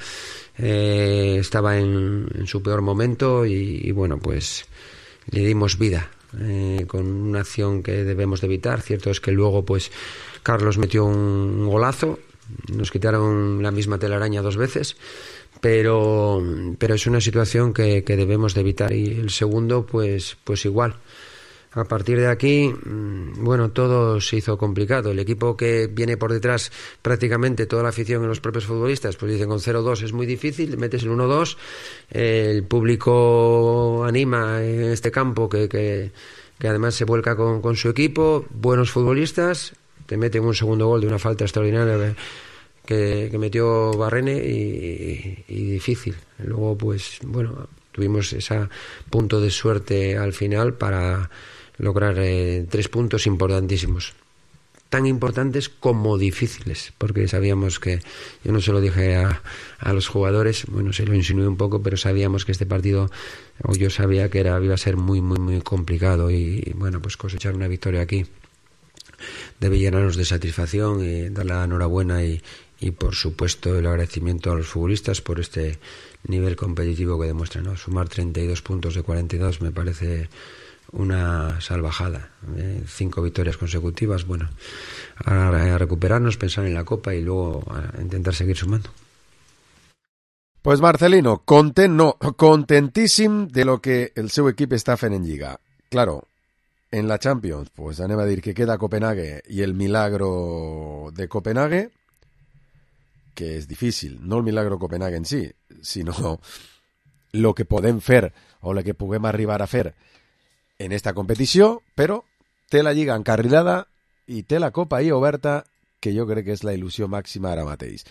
eh, estaba en, en su peor momento y, y bueno, pues le dimos vida. Eh, con una acción que debemos de evitar. Cierto es que luego pues Carlos metió un golazo, nos quitaron la misma telaraña dos veces, pero pero es una situación que, que debemos de evitar. Y el segundo pues pues igual. A partir de aquí, bueno, todo se hizo complicado. El equipo que viene por detrás, prácticamente toda la afición y los propios futbolistas, pues dicen con cero dos es muy difícil, metes el uno dos, el público anima en este campo que, que, que además se vuelca con, con su equipo, buenos futbolistas, te meten un segundo gol de una falta extraordinaria que, que metió Barrene y, y difícil. Luego, pues, bueno, tuvimos ese punto de suerte al final para lograr eh, tres puntos importantísimos, tan importantes como difíciles, porque sabíamos que, yo no se lo dije a, a los jugadores, bueno, se lo insinué un poco, pero sabíamos que este partido, o yo sabía que era, iba a ser muy, muy, muy complicado y, y bueno, pues cosechar una victoria aquí debe llenarnos de satisfacción y dar la enhorabuena y, y por supuesto el agradecimiento a los futbolistas por este nivel competitivo que demuestran, ¿no? Sumar treinta y dos puntos de cuarenta y dos me parece una salvajada, ¿eh? Cinco victorias consecutivas. Bueno, a, a recuperarnos, pensar en la Copa y luego a intentar seguir sumando. Pues Marcelino, content no, contentíssim de lo que el seu equip està fent en Lliga. Claro, en la Champions, pues anem a dir que queda Copenhague i el milagro de Copenhague, que és difícil, no el milagro Copenhague en si, sinó lo que podem fer o lo que puguem arribar a fer en esta competició, però té la Lliga encarrilada i té la Copa ahí oberta, que jo crec que és la il·lusió màxima ara mateix.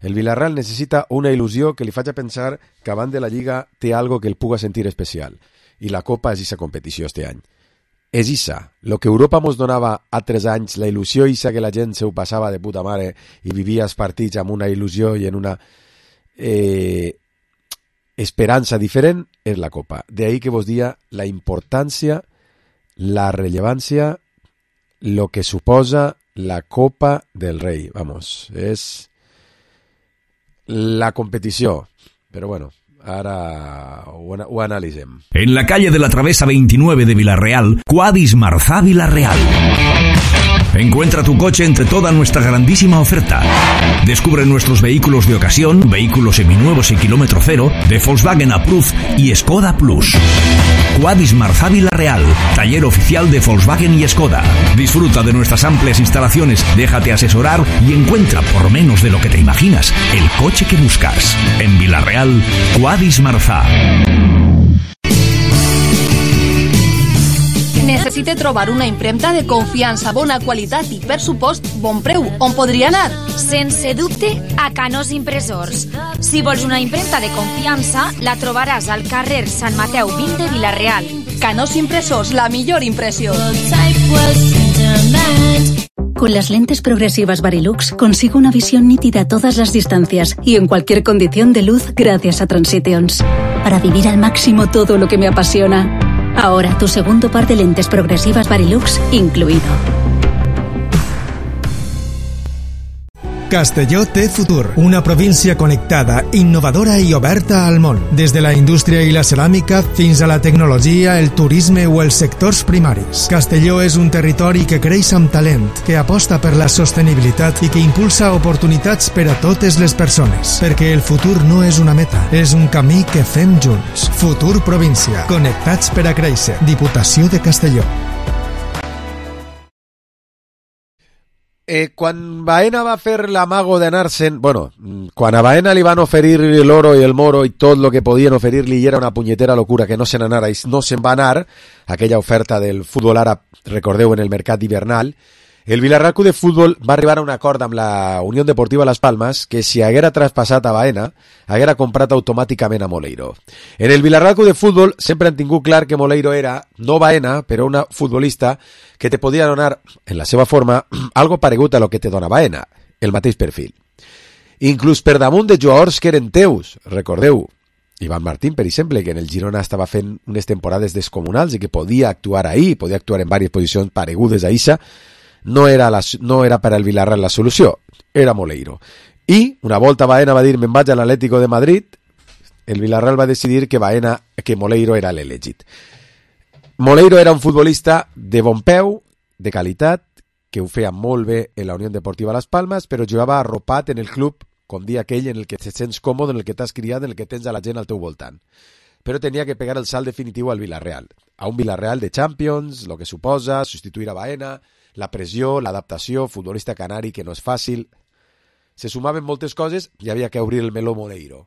El Villarreal necessita una il·lusió que li faci pensar que abans de la Lliga té algo que el puga sentir especial, i la Copa és aquesta competició este any. És issa, lo que Europa mos donava a tres anys, la il·lusió issa que la gent se ho passava de puta mare i vivia els partits amb una il·lusió i en una eh, esperança diferent, és la Copa. De ahí que vos dia la importància, la rellevància, lo que suposa la Copa del Rey. Vamos, és la competició. Però bueno, ara ho, ho analitzem. En la calle de la Travesa veintinueve de Villarreal, Quadis Marzá Villarreal. Encuentra tu coche entre toda nuestra grandísima oferta. Descubre nuestros vehículos de ocasión, vehículos seminuevos y kilómetro cero, de Volkswagen Approved y Skoda Plus. Quadis Marzá Villarreal, taller oficial de Volkswagen y Skoda. Disfruta de nuestras amplias instalaciones, déjate asesorar y encuentra por menos de lo que te imaginas el coche que buscas. En Villarreal, Quadis Marzá. Necessite trobar una impremta de confiança, bona qualitat i, per supost, bon preu. On podria anar? Sense dubte, a Canós Impressors. Si vols una impremta de confiança, la trobaràs al carrer Sant Mateu vint de Villarreal. Canós Impressors, la millor impressió. Con las lentes progresivas Varilux consigo una visión nítida a todas las distancias y en cualquier condición de luz gracias a Transitions. Para vivir al máximo todo lo que me apasiona. Ahora tu segundo par de lentes progresivas Varilux incluido. Castelló té futur, una província connectada, innovadora i oberta al món. Des de la indústria i la ceràmica fins a la tecnologia, el turisme o els sectors primaris. Castelló és un territori que creix amb talent, que aposta per la sostenibilitat i que impulsa oportunitats per a totes les persones. Perquè el futur no és una meta, és un camí que fem junts. Futur província, connectats per a créixer. Diputació de Castelló. Eh, quan Baena va fer l'amago d'anar-se'n, bueno, quan a Baena li van oferir l'oro i el moro i tot el que podien oferir-li i era una punyetera locura que no se'n anara i no se'n va anar, aquella oferta del futbol àrab, recordeu, en el mercat hivernal, el Villarreal Club de Futbol va arribar a un acord amb la Unió Deportiva Las Palmas que si haguera traspassat a Baena, haguera comprat automàticament a Moleiro. En el Villarreal Club de Futbol sempre han tingut clar que Moleiro era, no Baena, però una futbolista que te podia donar, en la seva forma, algo paregut a lo que te dona Baena, el mateix perfil. Inclús per damunt de jugadors que eren teus, recordeu, Iván Martín, per exemple, que en el Girona estava fent unes temporades descomunals i que podia actuar ahí, podia actuar en diverses posicions paregudes a Isa, no era, la, no era per al Villarreal la solució, era Moleiro. I una volta Baena va dir me'n vaig a l'Atlético de Madrid, el Villarreal va decidir que Baena, que Moleiro era l'elegit. Moleiro era un futbolista de bon peu, de qualitat, que ho feia molt bé en la Unió Deportiva Las Palmas, però jugava arropat en el club, com dia aquell en el que te sents còmode, en el que t'has criat, en el que tens a la gent al teu voltant. Però tenia que pegar el salt definitiu al Villarreal, a un Villarreal de Champions, lo que suposa substituir a Baena, la pressió, l'adaptació, futbolista canari que no és fàcil. Se sumaven moltes coses i havia que obrir el meló Moleiro.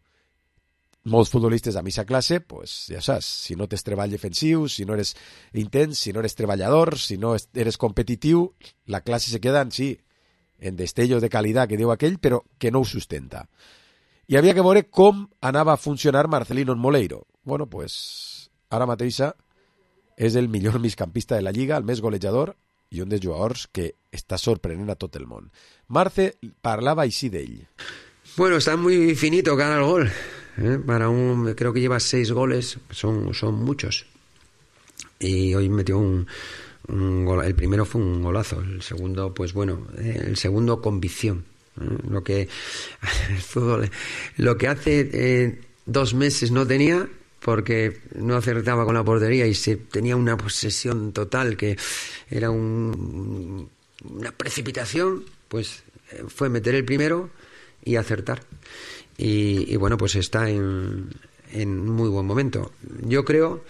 Molts futbolistes a missa classe, pues, ja saps, si no tens treball defensiu, si no eres intens, si no eres treballador, si no eres competitiu, la classe se queda en sí, en destellos de qualitat que diu aquell, però que no ho sustenta. I havia que veure com anava a funcionar Marcelino en Moleiro. Bueno, pues, ara mateixa és el millor migcampista de la Lliga, el més golejador, i un dels jugadors que està sorprenent a tot el món. Marce parlava així d'ell. Bueno, está muy finito cada gol. ¿eh? Para un, creo que lleva seis goles, son, son muchos. Y hoy metió un, un gol. El primero fue un golazo, el segundo, pues bueno, eh, el segundo convicción. ¿eh? Lo que el fútbol, lo que hace eh, dos meses no tenía, porque no acertaba con la portería y se tenía una posesión total que era un, una precipitación, pues fue meter el primero y acertar. Y, y bueno, pues está en, en muy buen momento. Yo creo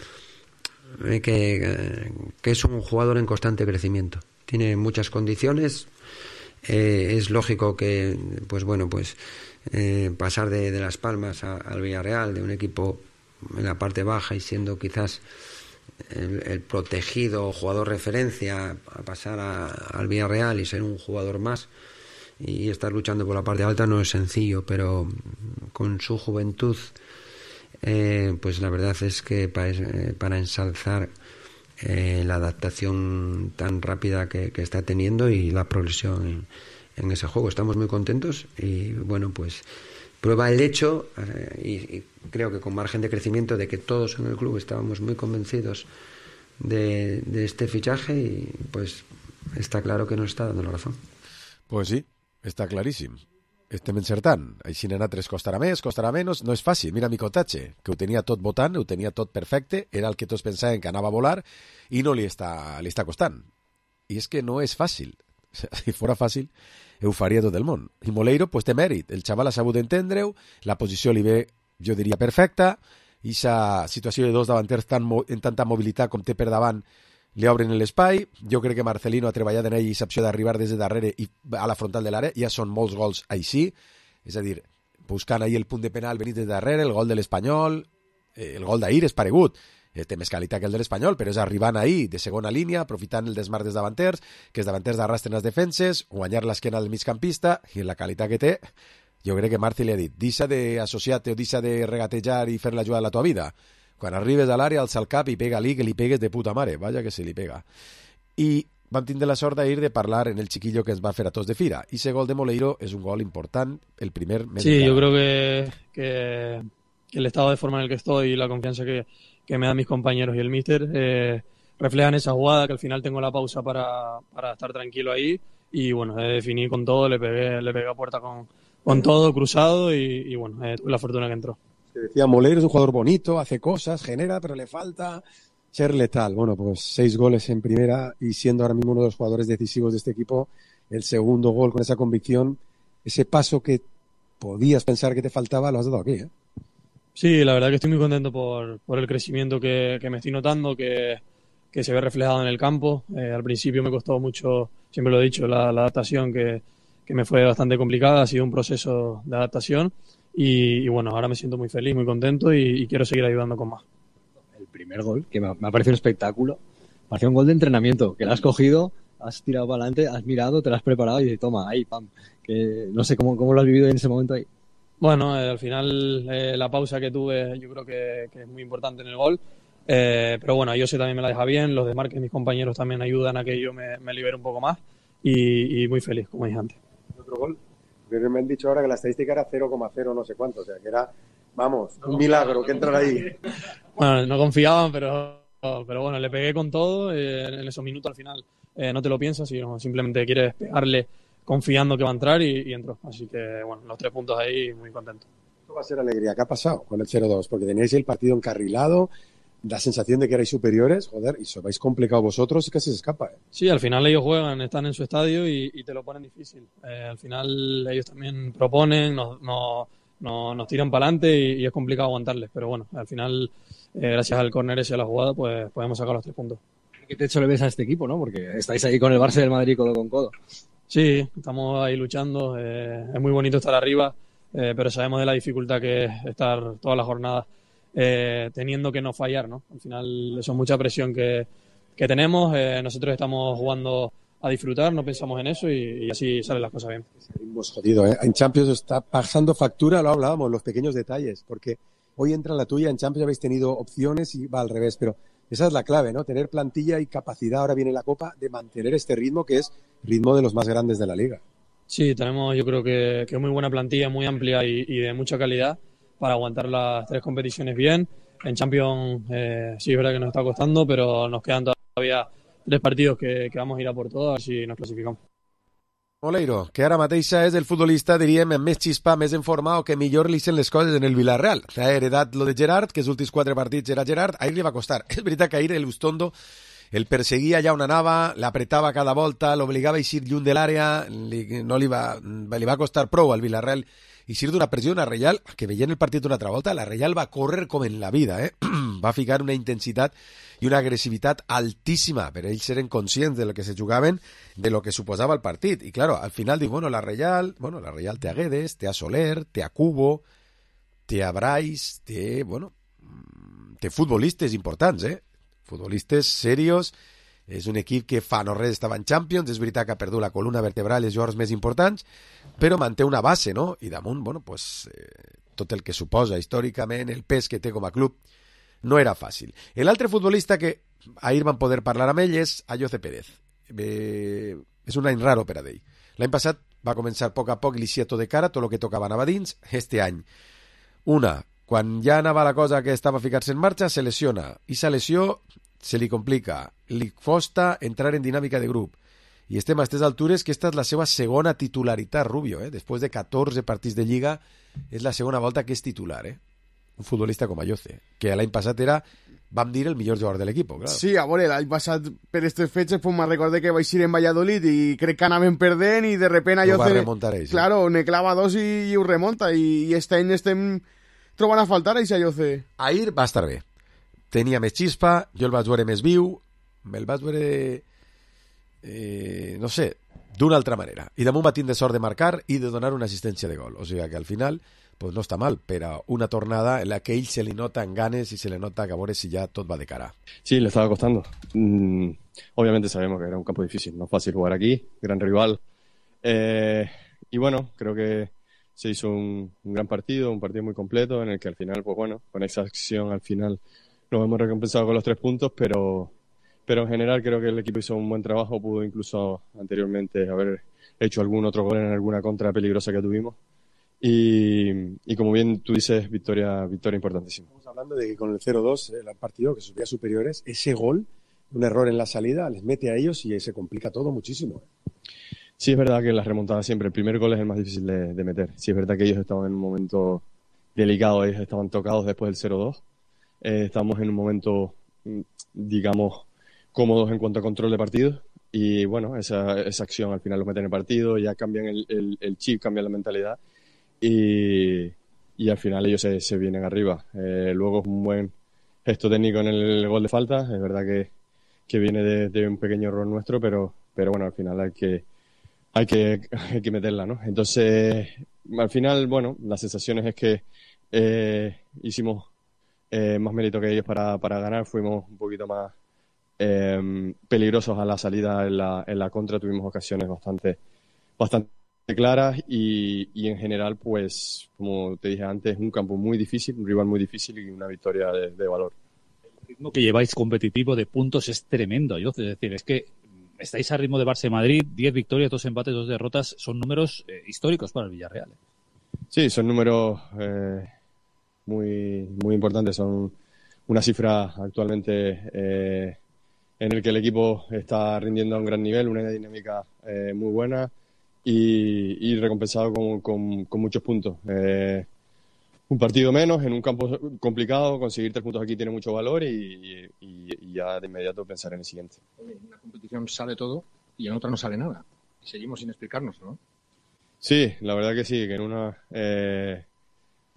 que, que es un jugador en constante crecimiento. Tiene muchas condiciones. Eh, es lógico que, pues bueno, pues eh, pasar de, de Las Palmas a, al Villarreal, de un equipo en la parte baja y siendo quizás el, el protegido jugador referencia, a pasar a, al Villarreal y ser un jugador más y estar luchando por la parte alta no es sencillo, pero con su juventud eh, pues la verdad es que para, eh, para ensalzar eh, la adaptación tan rápida que, que está teniendo y la progresión en, en ese juego, estamos muy contentos y bueno, pues prueba el hecho, eh, y, y creo que con margen de crecimiento, de que todos en el club estábamos muy convencidos de, de este fichaje y pues está claro que no está dando la razón. Pues sí, està claríssim. Estem encertant. Així n'ha tres costarà més, costarà menys. No és fàcil. Mira Micotatge, que ho tenia tot votant, ho tenia tot perfecte, era el que tots pensaven que anava a volar i no li està, li està costant. I és que no és fàcil. Si fora fàcil, ho faria tot el món. I Moleiro, pues té mèrit. El xaval ha sabut entendre-ho, la posició li ve, jo diria, perfecta, i aquesta situació de dos davanters tan, en tanta mobilitat com té per davant li obren l'espai. Jo crec que Marcelino ha treballat en ell i s'opció d'arribar des de darrere i a la frontal de l'àrea. Ja són molts gols així, és a dir, buscant ahir el punt de penal venit des de darrere, el gol de l'Espanyol, el gol d'ahir és paregut, té més qualitat que el de l'Espanyol, però és arribant ahir de segona línia, aprofitant el desmarc dels davanters, que els davanters arrastren les defenses, guanyar l'esquena del migcampista, i en la qualitat que té, jo crec que Marci li ha dit, deixa d'associar-te o deixa de regatejar i fer la jugada de la tua vida. Quan arribes a l'àrea, alça el cap i pega-li, que li pegues de puta mare. Vaja que se li pega. I vam tindre la sort d'ir de parlar en el chiquillo que ens va fer a tots de fira. I ese gol de Moleiro és un gol important, el primer... Sí, yo creo que, que, que el estado de forma en el que estoy y la confianza que, que me dan mis compañeros y el míster eh, reflejan esa jugada, que al final tengo la pausa para, para estar tranquilo ahí. Y bueno, eh, definí con todo, le pegué, le pegué a puerta con, con todo cruzado y, y bueno, eh, tuve la fortuna que entró. Decía, Moleiro es un jugador bonito, hace cosas, genera, pero le falta ser letal. Bueno, pues seis goles en primera y siendo ahora mismo uno de los jugadores decisivos de este equipo, el segundo gol con esa convicción, ese paso que podías pensar que te faltaba, lo has dado aquí, ¿eh? Sí, la verdad que estoy muy contento por, por el crecimiento que, que me estoy notando, que, que se ve reflejado en el campo. Eh, al principio me costó mucho, siempre lo he dicho, la, la adaptación que, que me fue bastante complicada, ha sido un proceso de adaptación. Y, y bueno, ahora me siento muy feliz, muy contento y, y quiero seguir ayudando con más. El primer gol, que me ha, me ha parecido un espectáculo, parecía un gol de entrenamiento, que lo has cogido, has tirado para adelante, has mirado, te lo has preparado y toma, ahí, pam. Que no sé cómo, cómo lo has vivido en ese momento ahí. Bueno, eh, al final eh, la pausa que tuve yo creo que, que es muy importante en el gol, eh, pero bueno, yo sé también me la deja bien, los demás que mis compañeros también ayudan a que yo me, me libere un poco más y, y muy feliz, como dije antes. ¿Otro gol? Pero me han dicho ahora que la estadística era cero coma cero no sé cuánto, o sea que era, vamos, un milagro que entrar ahí. Bueno, no confiaban, pero, pero bueno, le pegué con todo, eh, en esos minutos al final eh, no te lo piensas, sino simplemente quieres pegarle confiando que va a entrar y, y entró. Así que bueno, los tres puntos ahí, muy contento. Esto va a ser alegría. ¿Qué ha pasado con el cero dos? Porque teníais el partido encarrilado, la sensación de que erais superiores, joder, y se os habéis complicado vosotros y casi se escapa, ¿eh? Sí, al final ellos juegan, están en su estadio y, y te lo ponen difícil. Eh, al final ellos también proponen, nos, nos, nos, nos tiran para adelante y, y es complicado aguantarles. Pero bueno, al final, eh, gracias al córner ese y a la jugada, pues podemos sacar los tres puntos. ¿Qué techo le ves a este equipo, no? Porque estáis ahí con el Barça del Madrid codo con codo. Sí, estamos ahí luchando. Eh, es muy bonito estar arriba, eh, pero sabemos de la dificultad que es estar toda la jornada eh, teniendo que no fallar, ¿no? Al final eso es mucha presión que, que tenemos. Eh, nosotros estamos jugando a disfrutar, no pensamos en eso y, y así salen las cosas bien. Hemos jodido, ¿eh? En Champions está pasando factura, lo hablábamos, los pequeños detalles, porque hoy entra la tuya, en Champions habéis tenido opciones y va al revés, pero esa es la clave, ¿no? Tener plantilla y capacidad, ahora viene la Copa, de mantener este ritmo que es ritmo de los más grandes de la Liga. Sí, tenemos yo creo que, que muy buena plantilla, muy amplia y, y de mucha calidad para aguantar las tres competiciones bien. En Champions eh, sí es verdad que nos está costando, pero nos quedan todavía tres partidos que, que vamos a ir a por todos, a ver si nos clasificamos. Moleiro, que ara mateixa és el futbolista, diríem, amb més xispa, més en forma o que millor li sent les coses en el Villarreal. Ha heredat lo de Gerard, que els últims quatre partits era Gerard, ahir li va costar. És veritat que ahir el Ustondo el perseguia allà on anava, l'apretava cada volta, l'obligava a eixir lluny de l'àrea, li, no li va, li va costar prou al Villarreal eixir d'una pressió, una Reial, que veient el partit d'una altra volta, la Reial va córrer com en la vida, eh? Va ficar una intensitat i una agressivitat altíssima, però ells eren conscients de lo que se jugaven, de lo que suposava el partit. I claro, al final diu, bueno, la Reial, bueno, la Reial té a Guedes, té a Soler, té a Cubo, té a Brais, té, bueno, té futbolistes importants, eh? Futbolistes serios. És un equip que fa no res estava en Champions, és veritat que ha perdut la columna vertebral i els jugadors més importants, però manté una base, no? I damunt, bueno, pues, eh, tot el que suposa històricament, el pes que té com a club, no era fàcil. L'altre futbolista que ahir van poder parlar amb ell és Ayoce Pérez. Eh, és un any raro per a ell. L'any passat va començar a poc a poc l'eixia tot de cara, tot el que tocava anava dins. Este any, una, quan ja anava la cosa que estava a ficar-se en marxa, se lesiona. I sa lesió se li complica, li costa entrar en dinàmica de grup. i estem a aquestes altures que esta és la seva segona titularitat, Rubio, eh? Després de catorze partits de Lliga, és la segona volta que és titular, eh? Un futbolista com Ayoce, que l'any passat era, vam dir, el millor jugador de l'equip, claro. Sí, a veure, l'any passat per aquestes fetges pues, me'n recordé que vaig ir en Valladolid i crec que anaven perdent i de repente Ayoce... Ho va remuntar ell, sí. Claro, ne clava dos i, i ho remunta i, i este any estem trobant a faltar a Ayoce. Ahir va estar bé. Tenia més xispa, jo el vaig veure més viu, me'l vaig veure... Eh, no sé, d'una altra manera. I damunt va tindre sort de marcar i de donar una assistència de gol. O sigui que al final pues no està mal, però una tornada en la que ell se li nota en ganes y se le nota que a veure si ya todo va de cara. Sí, le estaba costando. Mm, obviamente sabemos que era un campo difícil, no es fácil jugar aquí, gran rival. Eh, y bueno, creo que se hizo un, un gran partido, un partido muy completo en el que al final, pues bueno, con esa acción al final nos hemos recompensado con los tres puntos, pero... pero en general creo que el equipo hizo un buen trabajo, pudo incluso anteriormente haber hecho algún otro gol en alguna contra peligrosa que tuvimos y, y como bien tú dices, victoria victoria importantísima. Estamos hablando de que con el cero dos, el partido que sus vías superiores, ese gol, un error en la salida, les mete a ellos y se complica todo muchísimo. Sí, es verdad que las remontadas siempre, el primer gol es el más difícil de, de meter. Sí, es verdad que ellos estaban en un momento delicado, ellos estaban tocados después del cero dos, eh, estamos en un momento, digamos, cómodos en cuanto a control de partido y bueno, esa, esa acción al final lo meten en el partido, ya cambian el, el, el chip, cambian la mentalidad y, y al final ellos se, se vienen arriba. Eh, luego es un buen gesto técnico en el gol de falta, es verdad que, que viene de, de un pequeño error nuestro, pero, pero bueno, al final hay que, hay que, hay que meterla, ¿no? Entonces, al final, bueno, las sensaciones es que eh, hicimos eh, más mérito que ellos para, para ganar, fuimos un poquito más Eh, peligrosos a la salida en la, en la contra, tuvimos ocasiones bastante bastante claras y, y en general, pues, como te dije antes, un campo muy difícil, un rival muy difícil y una victoria de, de valor. El ritmo que lleváis competitivo de puntos es tremendo, yo, es decir, es que estáis a ritmo de Barça y Madrid, diez victorias, dos empates, dos derrotas, son números eh, históricos para el Villarreal. Sí, son números eh, muy, muy importantes, son una cifra actualmente eh, en el que el equipo está rindiendo a un gran nivel, una dinámica eh, muy buena y, y recompensado con, con, con muchos puntos. Eh, un partido menos en un campo complicado, conseguir tres puntos aquí tiene mucho valor y, y, y ya de inmediato pensar en el siguiente. En una competición sale todo y en otra no sale nada. Y seguimos sin explicarnos, ¿no? Sí, la verdad que sí, que en una eh,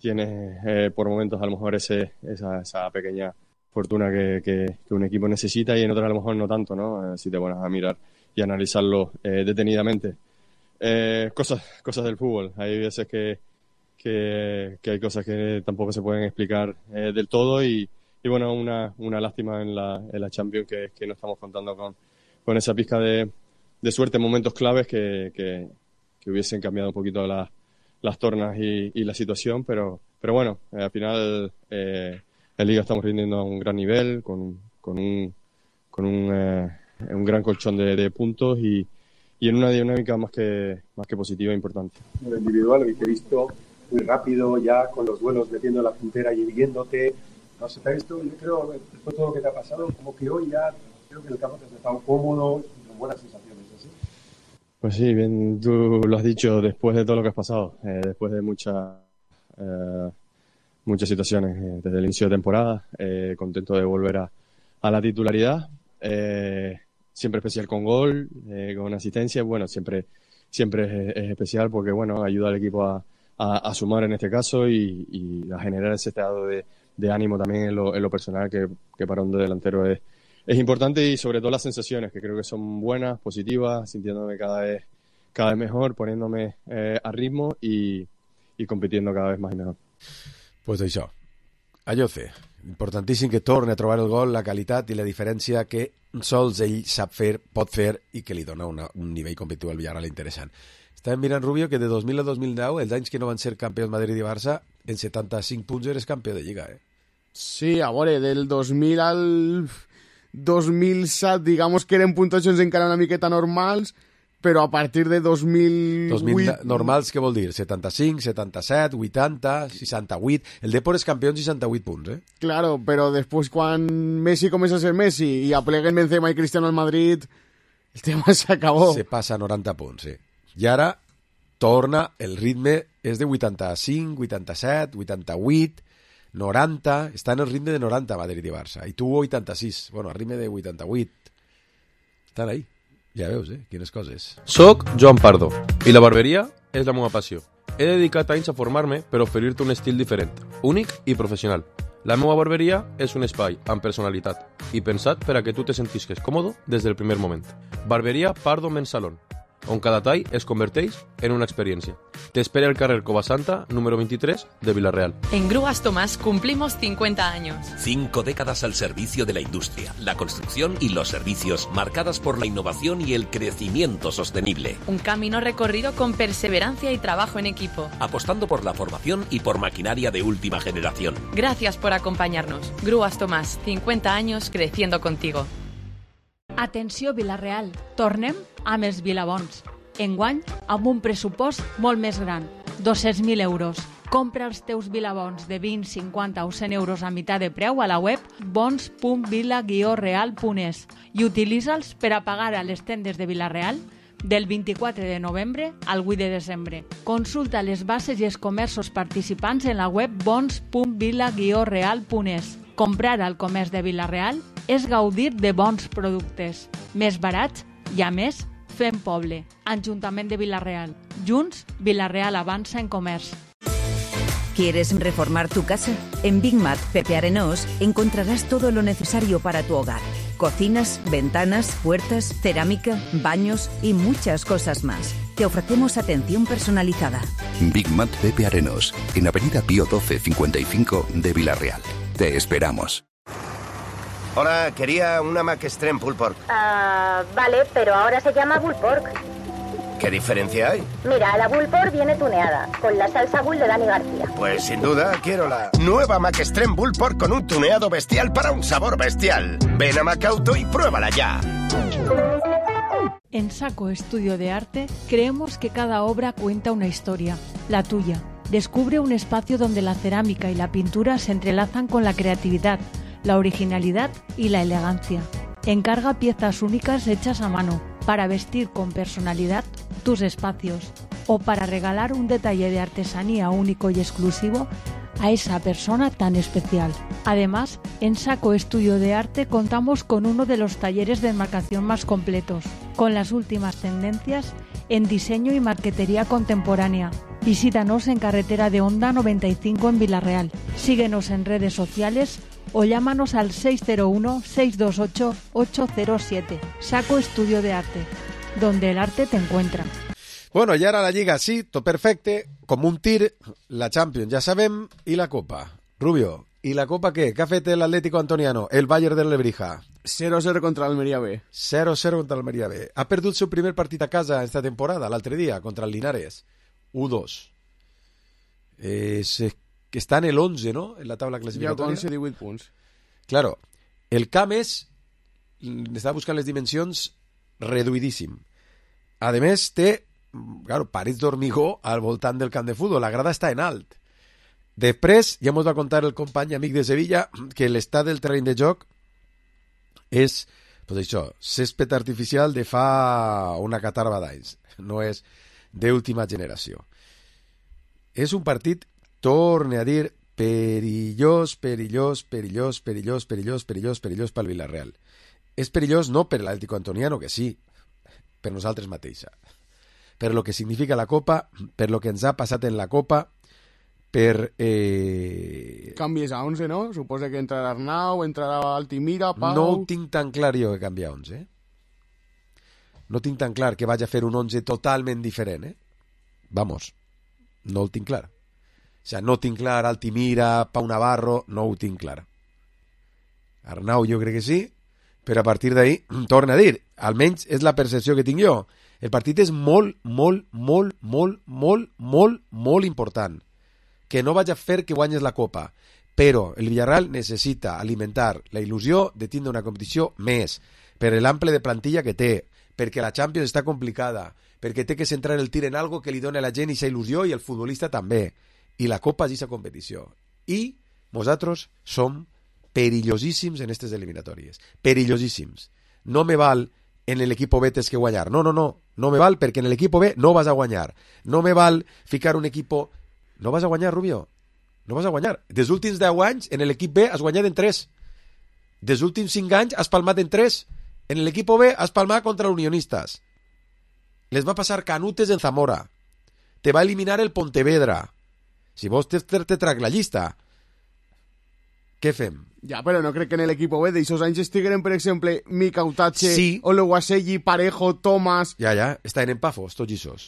tienes eh, por momentos a lo mejor ese, esa, esa pequeña fortuna que, que, que un equipo necesita y en otras a lo mejor no tanto, ¿no? Eh, si te pones a mirar y analizarlo eh, detenidamente. Eh, cosas, cosas del fútbol. Hay veces que, que, que hay cosas que tampoco se pueden explicar eh, del todo y, y bueno, una, una lástima en la, en la Champions que, que no estamos contando con, con esa pizca de, de suerte en momentos claves que, que, que hubiesen cambiado un poquito la, las tornas y, y la situación, pero, pero bueno, eh, al final eh, en Liga estamos rindiendo a un gran nivel, con, con un, con un, eh, un gran colchón de, de puntos y, y en una dinámica más que, más que positiva e importante. En lo individual, lo que he visto muy rápido, ya con los duelos metiendo la puntera y viéndote, no sé, te ha visto, yo creo, después de todo lo que te ha pasado, como que hoy ya creo que el campo te has estado cómodo y con buenas sensaciones, ¿así? Pues sí, bien, tú lo has dicho, después de todo lo que has pasado, eh, después de muchas eh, muchas situaciones eh, desde el inicio de temporada, eh, contento de volver a, a la titularidad, eh, siempre especial con gol, eh, con asistencia, bueno, siempre siempre es, es especial porque, bueno, ayuda al equipo a, a, a sumar en este caso y, y a generar ese estado de, de ánimo también en lo, en lo personal que, que para un delantero es, es importante y sobre todo las sensaciones que creo que son buenas, positivas, sintiéndome cada vez, cada vez mejor, poniéndome eh, a ritmo y, y compitiendo cada vez más y mejor. Pues això, Ayoce, importantíssim que torni a trobar el gol, la qualitat i la diferència que sols ell sap fer, pot fer i que li dona una, un nivell competitiu al Villarreal interessant. Estàvem mirant, Rubio, que de dos mil a dos mil deu, els anys que no van ser campions Madrid i Barça, en setanta-cinc punts eres campió de Lliga, eh? Sí, a veure, del dos mil al dos mil set, digamos que eren puntuacions encara una miqueta normals, però a partir de dos mil vuit... dos mil normals, què vol dir? setanta-cinc, setanta-set, vuitanta, seixanta-vuit... El Depor és campió amb seixanta-vuit punts, eh? Claro, però després quan Messi comença a ser Messi i apleguen Benzema i Cristiano al Madrid, El tema s'acabó. Se passa a noranta punts, sí. I ara torna, el ritme és de vuitanta-cinc, vuitanta-set, vuitanta-vuit, noranta, està en el ritme de noranta Madrid i Barça, i tu vuitanta-sis, bueno, el ritme de vuitanta-vuit. Estan ahí, ja veus, eh, quines coses. Soc Joan Pardo, i la barberia és la meva passió. He dedicat anys a formar-me per oferir-te un estil diferent, únic i professional. La meva barberia és un espai amb personalitat i pensat per a que tu te sentisques còmode des del primer moment. Barberia Pardo Men's Salon, on cada tall es converteix en una experiència. Te espera el carrer Covasanta, número veintitrés, de Villarreal. En Grúas Tomás cumplimos cincuenta años. Cinco décadas al servicio de la industria, la construcción y los servicios, marcadas por la innovación y el crecimiento sostenible. Un camino recorrido con perseverancia y trabajo en equipo. Apostando por la formación y por maquinaria de última generación. Gracias por acompañarnos. Grúas Tomás, cincuenta años creciendo contigo. Atenció Vilareal, tornem amb els Vilabons. Enguany, amb un pressupost molt més gran, dos-cents mil euros. Compra els teus Vilabons de vint, cinquanta o cent euros a meitat de preu a la web bons punt vila guió real punt es i utilitza'ls per a pagar a les tendes de Vilareal del vint-i-quatre de novembre al vuit de desembre. Consulta les bases i els comerços participants en la web bons punt vila guió real punt es. Comprar al comerç de Vilareal és gaudir de bons productes, més barats i, a més, fem poble. Ajuntament de Vilareal. Junts, Vilareal avança en comerç. ¿Quieres reformar tu casa? En Big Mat Pepe Arenós encontrarás todo lo necesario para tu hogar. Cocinas, ventanas, puertas, cerámica, baños y muchas cosas más. Te ofrecemos atención personalizada. Big Mat Pepe Arenós, en Avenida Pío doce cincuenta y cinco de Villarreal. Te esperamos. Hola, quería una Mac Extreme Pulled Pork. Ah, vale, pero ahora se llama Bull Pork. ¿Qué diferencia hay? Mira, la Bull Pork viene tuneada, con la salsa Bull de Dani García. Pues sin duda quiero la nueva Mac Extreme Bull Pork con un tuneado bestial para un sabor bestial. Ven a Macauto y pruébala ya. En Saco Estudio de Arte creemos que cada obra cuenta una historia, la tuya. Descubre un espacio donde la cerámica y la pintura se entrelazan con la creatividad, la originalidad y la elegancia. Encarga piezas únicas hechas a mano para vestir con personalidad tus espacios o para regalar un detalle de artesanía único y exclusivo a esa persona tan especial. Además, en Saco Estudio de Arte contamos con uno de los talleres de enmarcación más completos, con las últimas tendencias en diseño y marquetería contemporánea. Visítanos en Carretera de Honda noventa y cinco en Vilareal. Síguenos en redes sociales o llámanos al seis cero uno, seis dos ocho, ocho cero siete. Saco Estudio de Arte, donde el arte te encuentra. Bueno, i ara la Lliga, sí, tot perfecte, com un tir, la Champions, ja sabem, i la Copa. Rubio, i la Copa què? Què ha fet l'Atlético Antoniano, el Bayern de Lebrija? cero cero contra l'Almeria B. cero cero contra l'Almeria B. Ha perdut el seu primer partit a casa esta temporada, l'altre dia, contra el Linares. u dos. Eh, se, està en el onze, no?, en la taula classificatòria. Ja onze, divuit punts. Claro, el camp és, estava buscant les dimensions, reduïdíssim. A més, té, claro, parets d'hormigó al voltant del camp de futbol, la grada està en alt. Després, ja ens va contar el company amic de Sevilla que l'estat del terreny de joc és, pues això, césped artificial de fa una catarba d'anys, no és d'última generació. És un partit, torne a dir, perillós, perillós, perillós, perillós, perillós, perillós, perillós pel Villarreal. És perillós no per l'Atlético Antoniano, que sí, per nosaltres mateixa, per lo que significa la Copa, per lo que ens ha passat en la Copa, per... Eh... Canvies a onze, no? Suposa que entrarà Arnau, entrarà Altimira, Pau... No ho tinc tan clar jo que canviar onze, eh? No tinc tan clar que vaig a fer un onze totalment diferent, eh? Vamos, no ho tinc clar. O sea, no tinc clar Altimira, Pau Navarro, no ho tinc clar. Arnau jo crec que sí, però a partir d'ahí, torna a dir, almenys és la percepció que tinc jo. El partit és molt, molt, molt, molt, molt, molt, molt important. Que no vaig a fer que guanyes la Copa, però el Villarreal necessita alimentar la il·lusió de tindre una competició més, per l'ample de plantilla que té, perquè la Champions està complicada, perquè té que centrar el tir en algo que li doni a la gent aquesta il·lusió i el futbolista també, i la Copa és aquesta competició. I nosaltres som perillosíssims en aquestes eliminatòries, perillosíssims. No me val en l'equip B tens que guanyar. No, no, no, no me val perquè en l'equip B no vas a guanyar. No me val ficar un equip... No vas a guanyar, Rubio. No vas a guanyar. Des últims deu anys, en l'equip B has guanyat en tres. Des últims cinc anys has palmat en tres. En l'equip B has palmat contra l'Unionistas. Les va passar canutes en Zamora. Te va eliminar el Pontevedra. Si vos te, te, te trac la llista, què fem? Ja, però no crec que en l'equip B d'aixòs anys estigueren, per exemple, Mika Utache, sí. Oluwaseyi, Parejo, Tomás... Ja, ja, estaven en Pafos, tots ixos.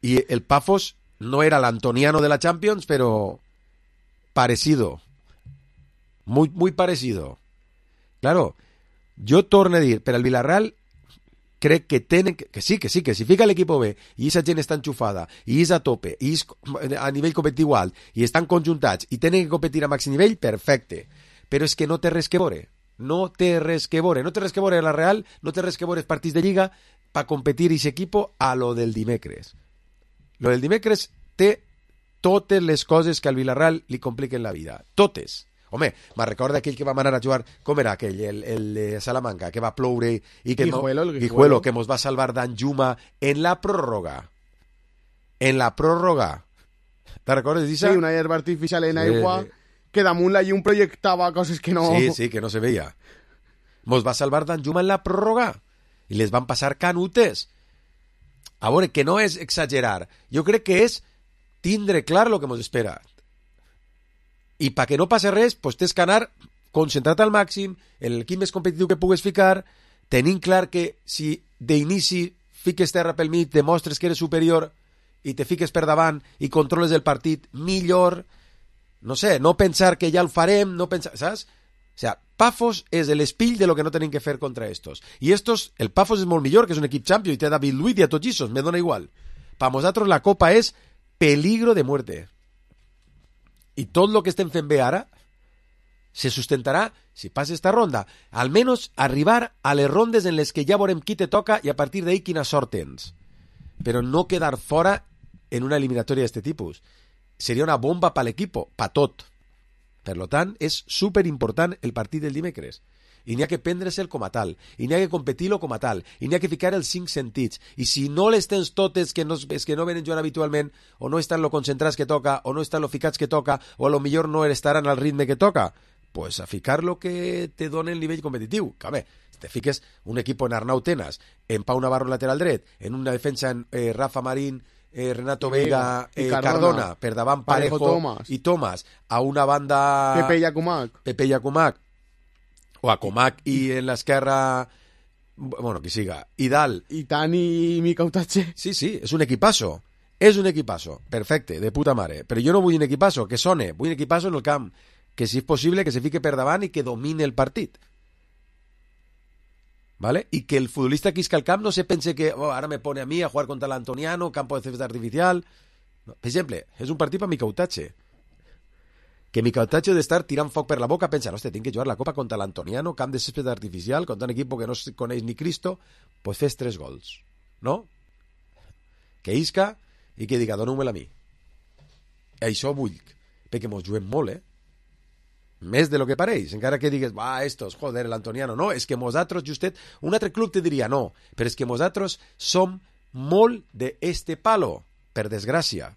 I el Pafos no era l'Antoniano de la Champions, però parecido. Muy, muy parecido. Claro, jo torno a dir, per al Villarreal, crec que tenen... Que, que sí, que sí, que si fica l'equip B i aquesta gent està enxufada, i és a tope, i és a nivell competitiu alt, i estan conjuntats, i tenen que competir a màxim nivell, perfecte. Però és que no té res que veure. No té res que veure. No té res que veure la Real, no té res que veure els partits de Lliga per competir aquest equip a lo del dimecres. Lo del dimecres té totes les coses que al Villarreal li compliquen la vida. Totes. Home, me recorda aquell que vam anar a jugar, com era aquell, el, el de Salamanca, que va ploure i que, Guijuelo, el Guijuelo, Guijuelo. que mos va salvar d'Anjuma en la pròrroga. En la pròrroga. Te recordes d'això? Sí, una herba artificial en Sí. aigua que damunt la llum projectava coses que no... Sí, sí, que no se veia. Mos va salvar d'Anjuma en la pròrroga i les van passar canutes. A veure, que no és exagerar. Jo crec que és tindre clar lo que mos espera. I perquè no passi res, pues tens que anar concentrat al màxim, en l'equip més competitiu que pugues ficar, tenint clar que si d'inici fiques terra pel mig, demostres que eres superior i te fiques per davant i controles el partit millor, no sé, no pensar que ja el farem, no pensar, saps? O sea, Pafos és l'espill de lo que no tenim que fer contra estos. I estos, el Pafos és molt millor, que és un equip champion, i té David Luiz i a tots issos, me dona igual. Per nosaltres la Copa és peligro de muerte. I tot el que estem fent bé ara se sustentarà si passa esta ronda. Almenys arribar a les rondes en les que ja veurem qui te toca i a partir d'ahí quina sort tens. Però no quedar fora en una eliminatòria d'aquest tipus. Seria una bomba per l'equip, per tot. Per tant, és superimportant el partit del dimecres. I n'hi ha que prendre-se'l com a tal, i n'hi ha que competir-lo com a tal, i n'hi ha que ficar els cinc sentits, i si no les tens totes que no, és que no venen jugant habitualment, o no estan lo concentrats que toca, o no estan lo ficats que toca, o a lo millor no estaran al ritme que toca, pues a ficar lo que te dona el nivell competitiu. Que home, te fiques un equip en Arnau Tenas, en Pau Navarro lateral dret, en una defensa en eh, Rafa Marín, eh, Renato Vega, eh, Cardona, Cardona, per davant Parejo, Parejo Tomás. i Tomás, a una banda... Pepe Yacumac. Pepe Yacumac, o a Comac i en l'esquerra, bueno, qui siga, i dalt. I Tani i Mika Utache. Sí, sí, és un equipasso. És un equipasso. Perfecte, de puta mare. Però jo no vull un equipasso que sone, vull un equipasso en el camp, que si és possible que se fique per davant i que domine el partit. ¿Vale? I que el futbolista que isca al camp no se pense que oh, ara me pone a mi a jugar contra l'Antoniano, campo de césped artificial. No. Per exemple, és un partit per Mika Utache. Que Mika Utache d'estar tirant foc per la boca pensa, hòstia, tinc que jugar la copa contra l'Antoniano, camp de césped artificial, contra un equip que no se coneix ni Cristo, pues fes tres gols, no? Que isca i que diga, dona-me-la a mi. Això vull, perquè mos juguem molt, eh? Més de lo que pareix, encara que digues, va, estos, joder, l'Antoniano, no, és que nosaltres, justet, un altre club te diria no, però és que nosaltres som molt d'este palo, per desgràcia.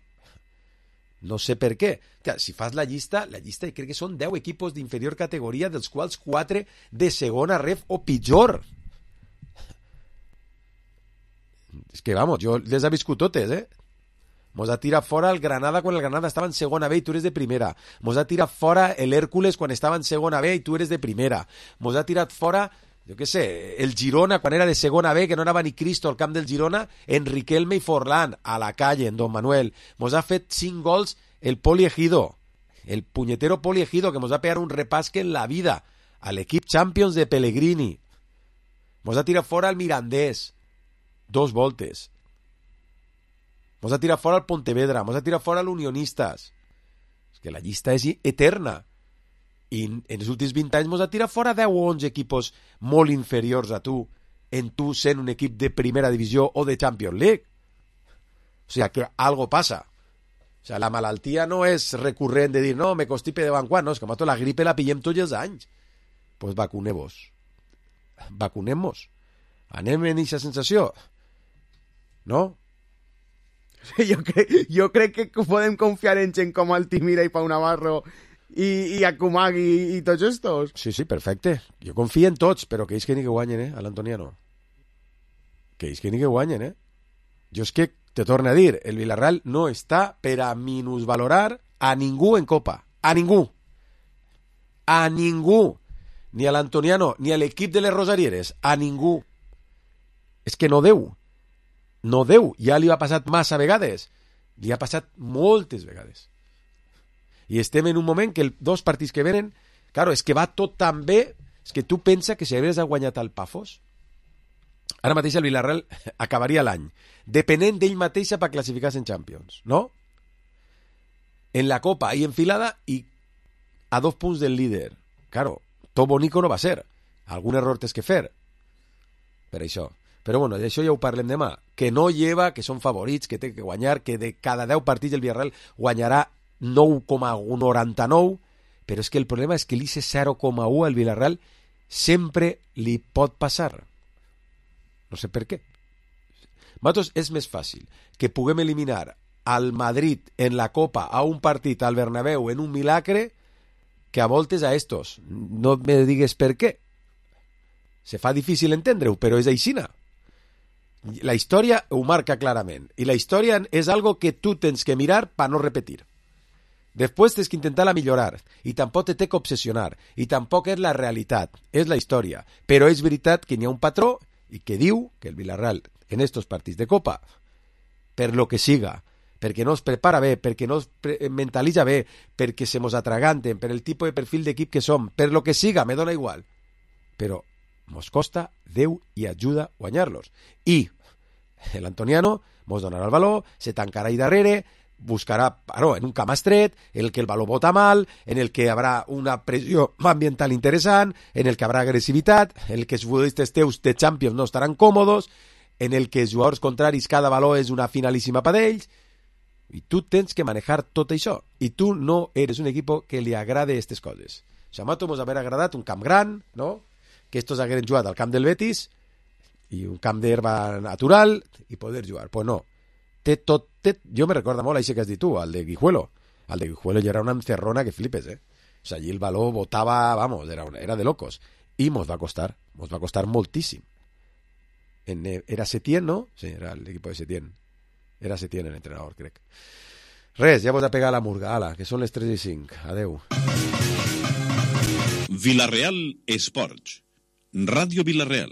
No sé per què. Si fas la llista, la llista crec que són deu equipos d'inferior categoria, dels quals quatre de segona ref o pitjor. És que, vamos, jo les he viscut totes, eh? Mos ha tirat fora el Granada quan el Granada estava en segona B i tu eres de primera. Mos ha tirat fora el Hércules quan estava en segona B i tu eres de primera. Mos ha tirat fora, jo què sé, el Girona quan era de segona B, que no anava ni Cristo al camp del Girona, en Riquelme i Forlán, a la calle, en Don Manuel. Mos ha fet cinc gols el Poli Ejido, el punyetero Poli Ejido, que mos ha pegat un repasque en la vida, a l'equip Champions de Pellegrini. Mos ha tirat fora el Mirandés, dos voltes. Mos ha tirat fora el Pontevedra, mos ha tirat fora l'Unionistas. És que la llista és eterna. I en els últims vint anys mos ha tirat fora deu o onze equipos molt inferiors a tu, en tu sent un equip de primera divisió o de Champions League. O sigui, que algo passa. O sigui, la malaltia no és recurrent de dir, no, me constipe de banquant, no, és que mato la gripe la pillem tots els anys. Doncs pues vacunem-vos. Vacunem-vos. Anem en aquesta sensació? No? Jo, cre jo crec que podem confiar en gent com Altimira i Pau Navarro i, i Akumak i, i tots estos. Sí, sí, perfecte. Jo confio en tots, però que ells que ni que guanyen, eh, a l'Antoniano. Que ells que ni que guanyen, eh. Jo és que te torno a dir, el Villarreal no està per a minusvalorar a ningú en Copa. A ningú. A ningú. Ni a l'Antoniano, ni a l'equip de les Rosarieres. A ningú. És que no deu. No deu. Ja li ha passat massa vegades. Li ha passat moltes vegades. I estem en un moment que els dos partits que venen, claro, és que va tot tan bé, és que tu pensa que si hagués guanyat el Pafos, ara mateix el Villarreal acabaria l'any, depenent d'ell mateixa per classificar-se en Champions, no? En la Copa i enfilada i a dos punts del líder. Claro, tot bonico no va ser. Algun error tens que fer. Per això. Però bueno, d'això ja ho parlem demà. Que no lleva, que són favorits, que té que guanyar, que de cada deu partits el Villarreal guanyarà nou coma noranta-nou, però és que el problema és que l'I C zero coma u al Villarreal sempre li pot passar. No sé per què. Nosaltres és més fàcil que puguem eliminar al Madrid en la Copa a un partit al Bernabéu en un milagre que a voltes a estos. No me digues per què. Se fa difícil entendre-ho, però és aixina. La història ho marca clarament. I la història és algo que tu tens que mirar per no repetir. Després tens que intentar-la millorar i tampoc te té que obsessionar i tampoc és la realitat, és la història, però és veritat que n'hi ha un patró i que diu que el Villarreal en estos partits de Copa, per lo que siga, perquè no es prepara bé, perquè no es mentalitza bé, perquè se mos atraganten, per el tipus de perfil d'equip que som, per lo que siga, me dona igual, però mos costa Déu i ajuda a guanyar-los. I l'Antoniano mos donarà el valor, se tancarà ahí darrere, buscarà, bueno, en un camp estret, en el que el valor vota mal, en el que habrà una pressió ambiental interessant, en el que habrà agressivitat, en el que els futbolistes teus de Champions no estaran còmodes, en el que els jugadors contraris cada valor és una finalíssima per ells, i tu tens que manejar tot això, i tu no eres un equip que li agrade aquestes coses. Xamato mos haver agradat un camp gran, no? Que estos hagueren jugat al camp del Betis, i un camp d'herba natural, i poder jugar. Pues no. Té tot, té... Jo me recorda molt això que has dit tu, al de Guijuelo. Al de Guijuelo ja era una encerrona que flipes, eh? O sea, allí el valor botava, vamos, era, una, era de locos. I mos va costar, mos va costar moltíssim. En, era Setién, ¿no? Sí, era el equipo de Setién. Era Setién el entrenador, crec. Res, ja vos a pegar la murga. Ala, que són les tres i cinc. Adeu. Villarreal Esports. Ràdio Villarreal.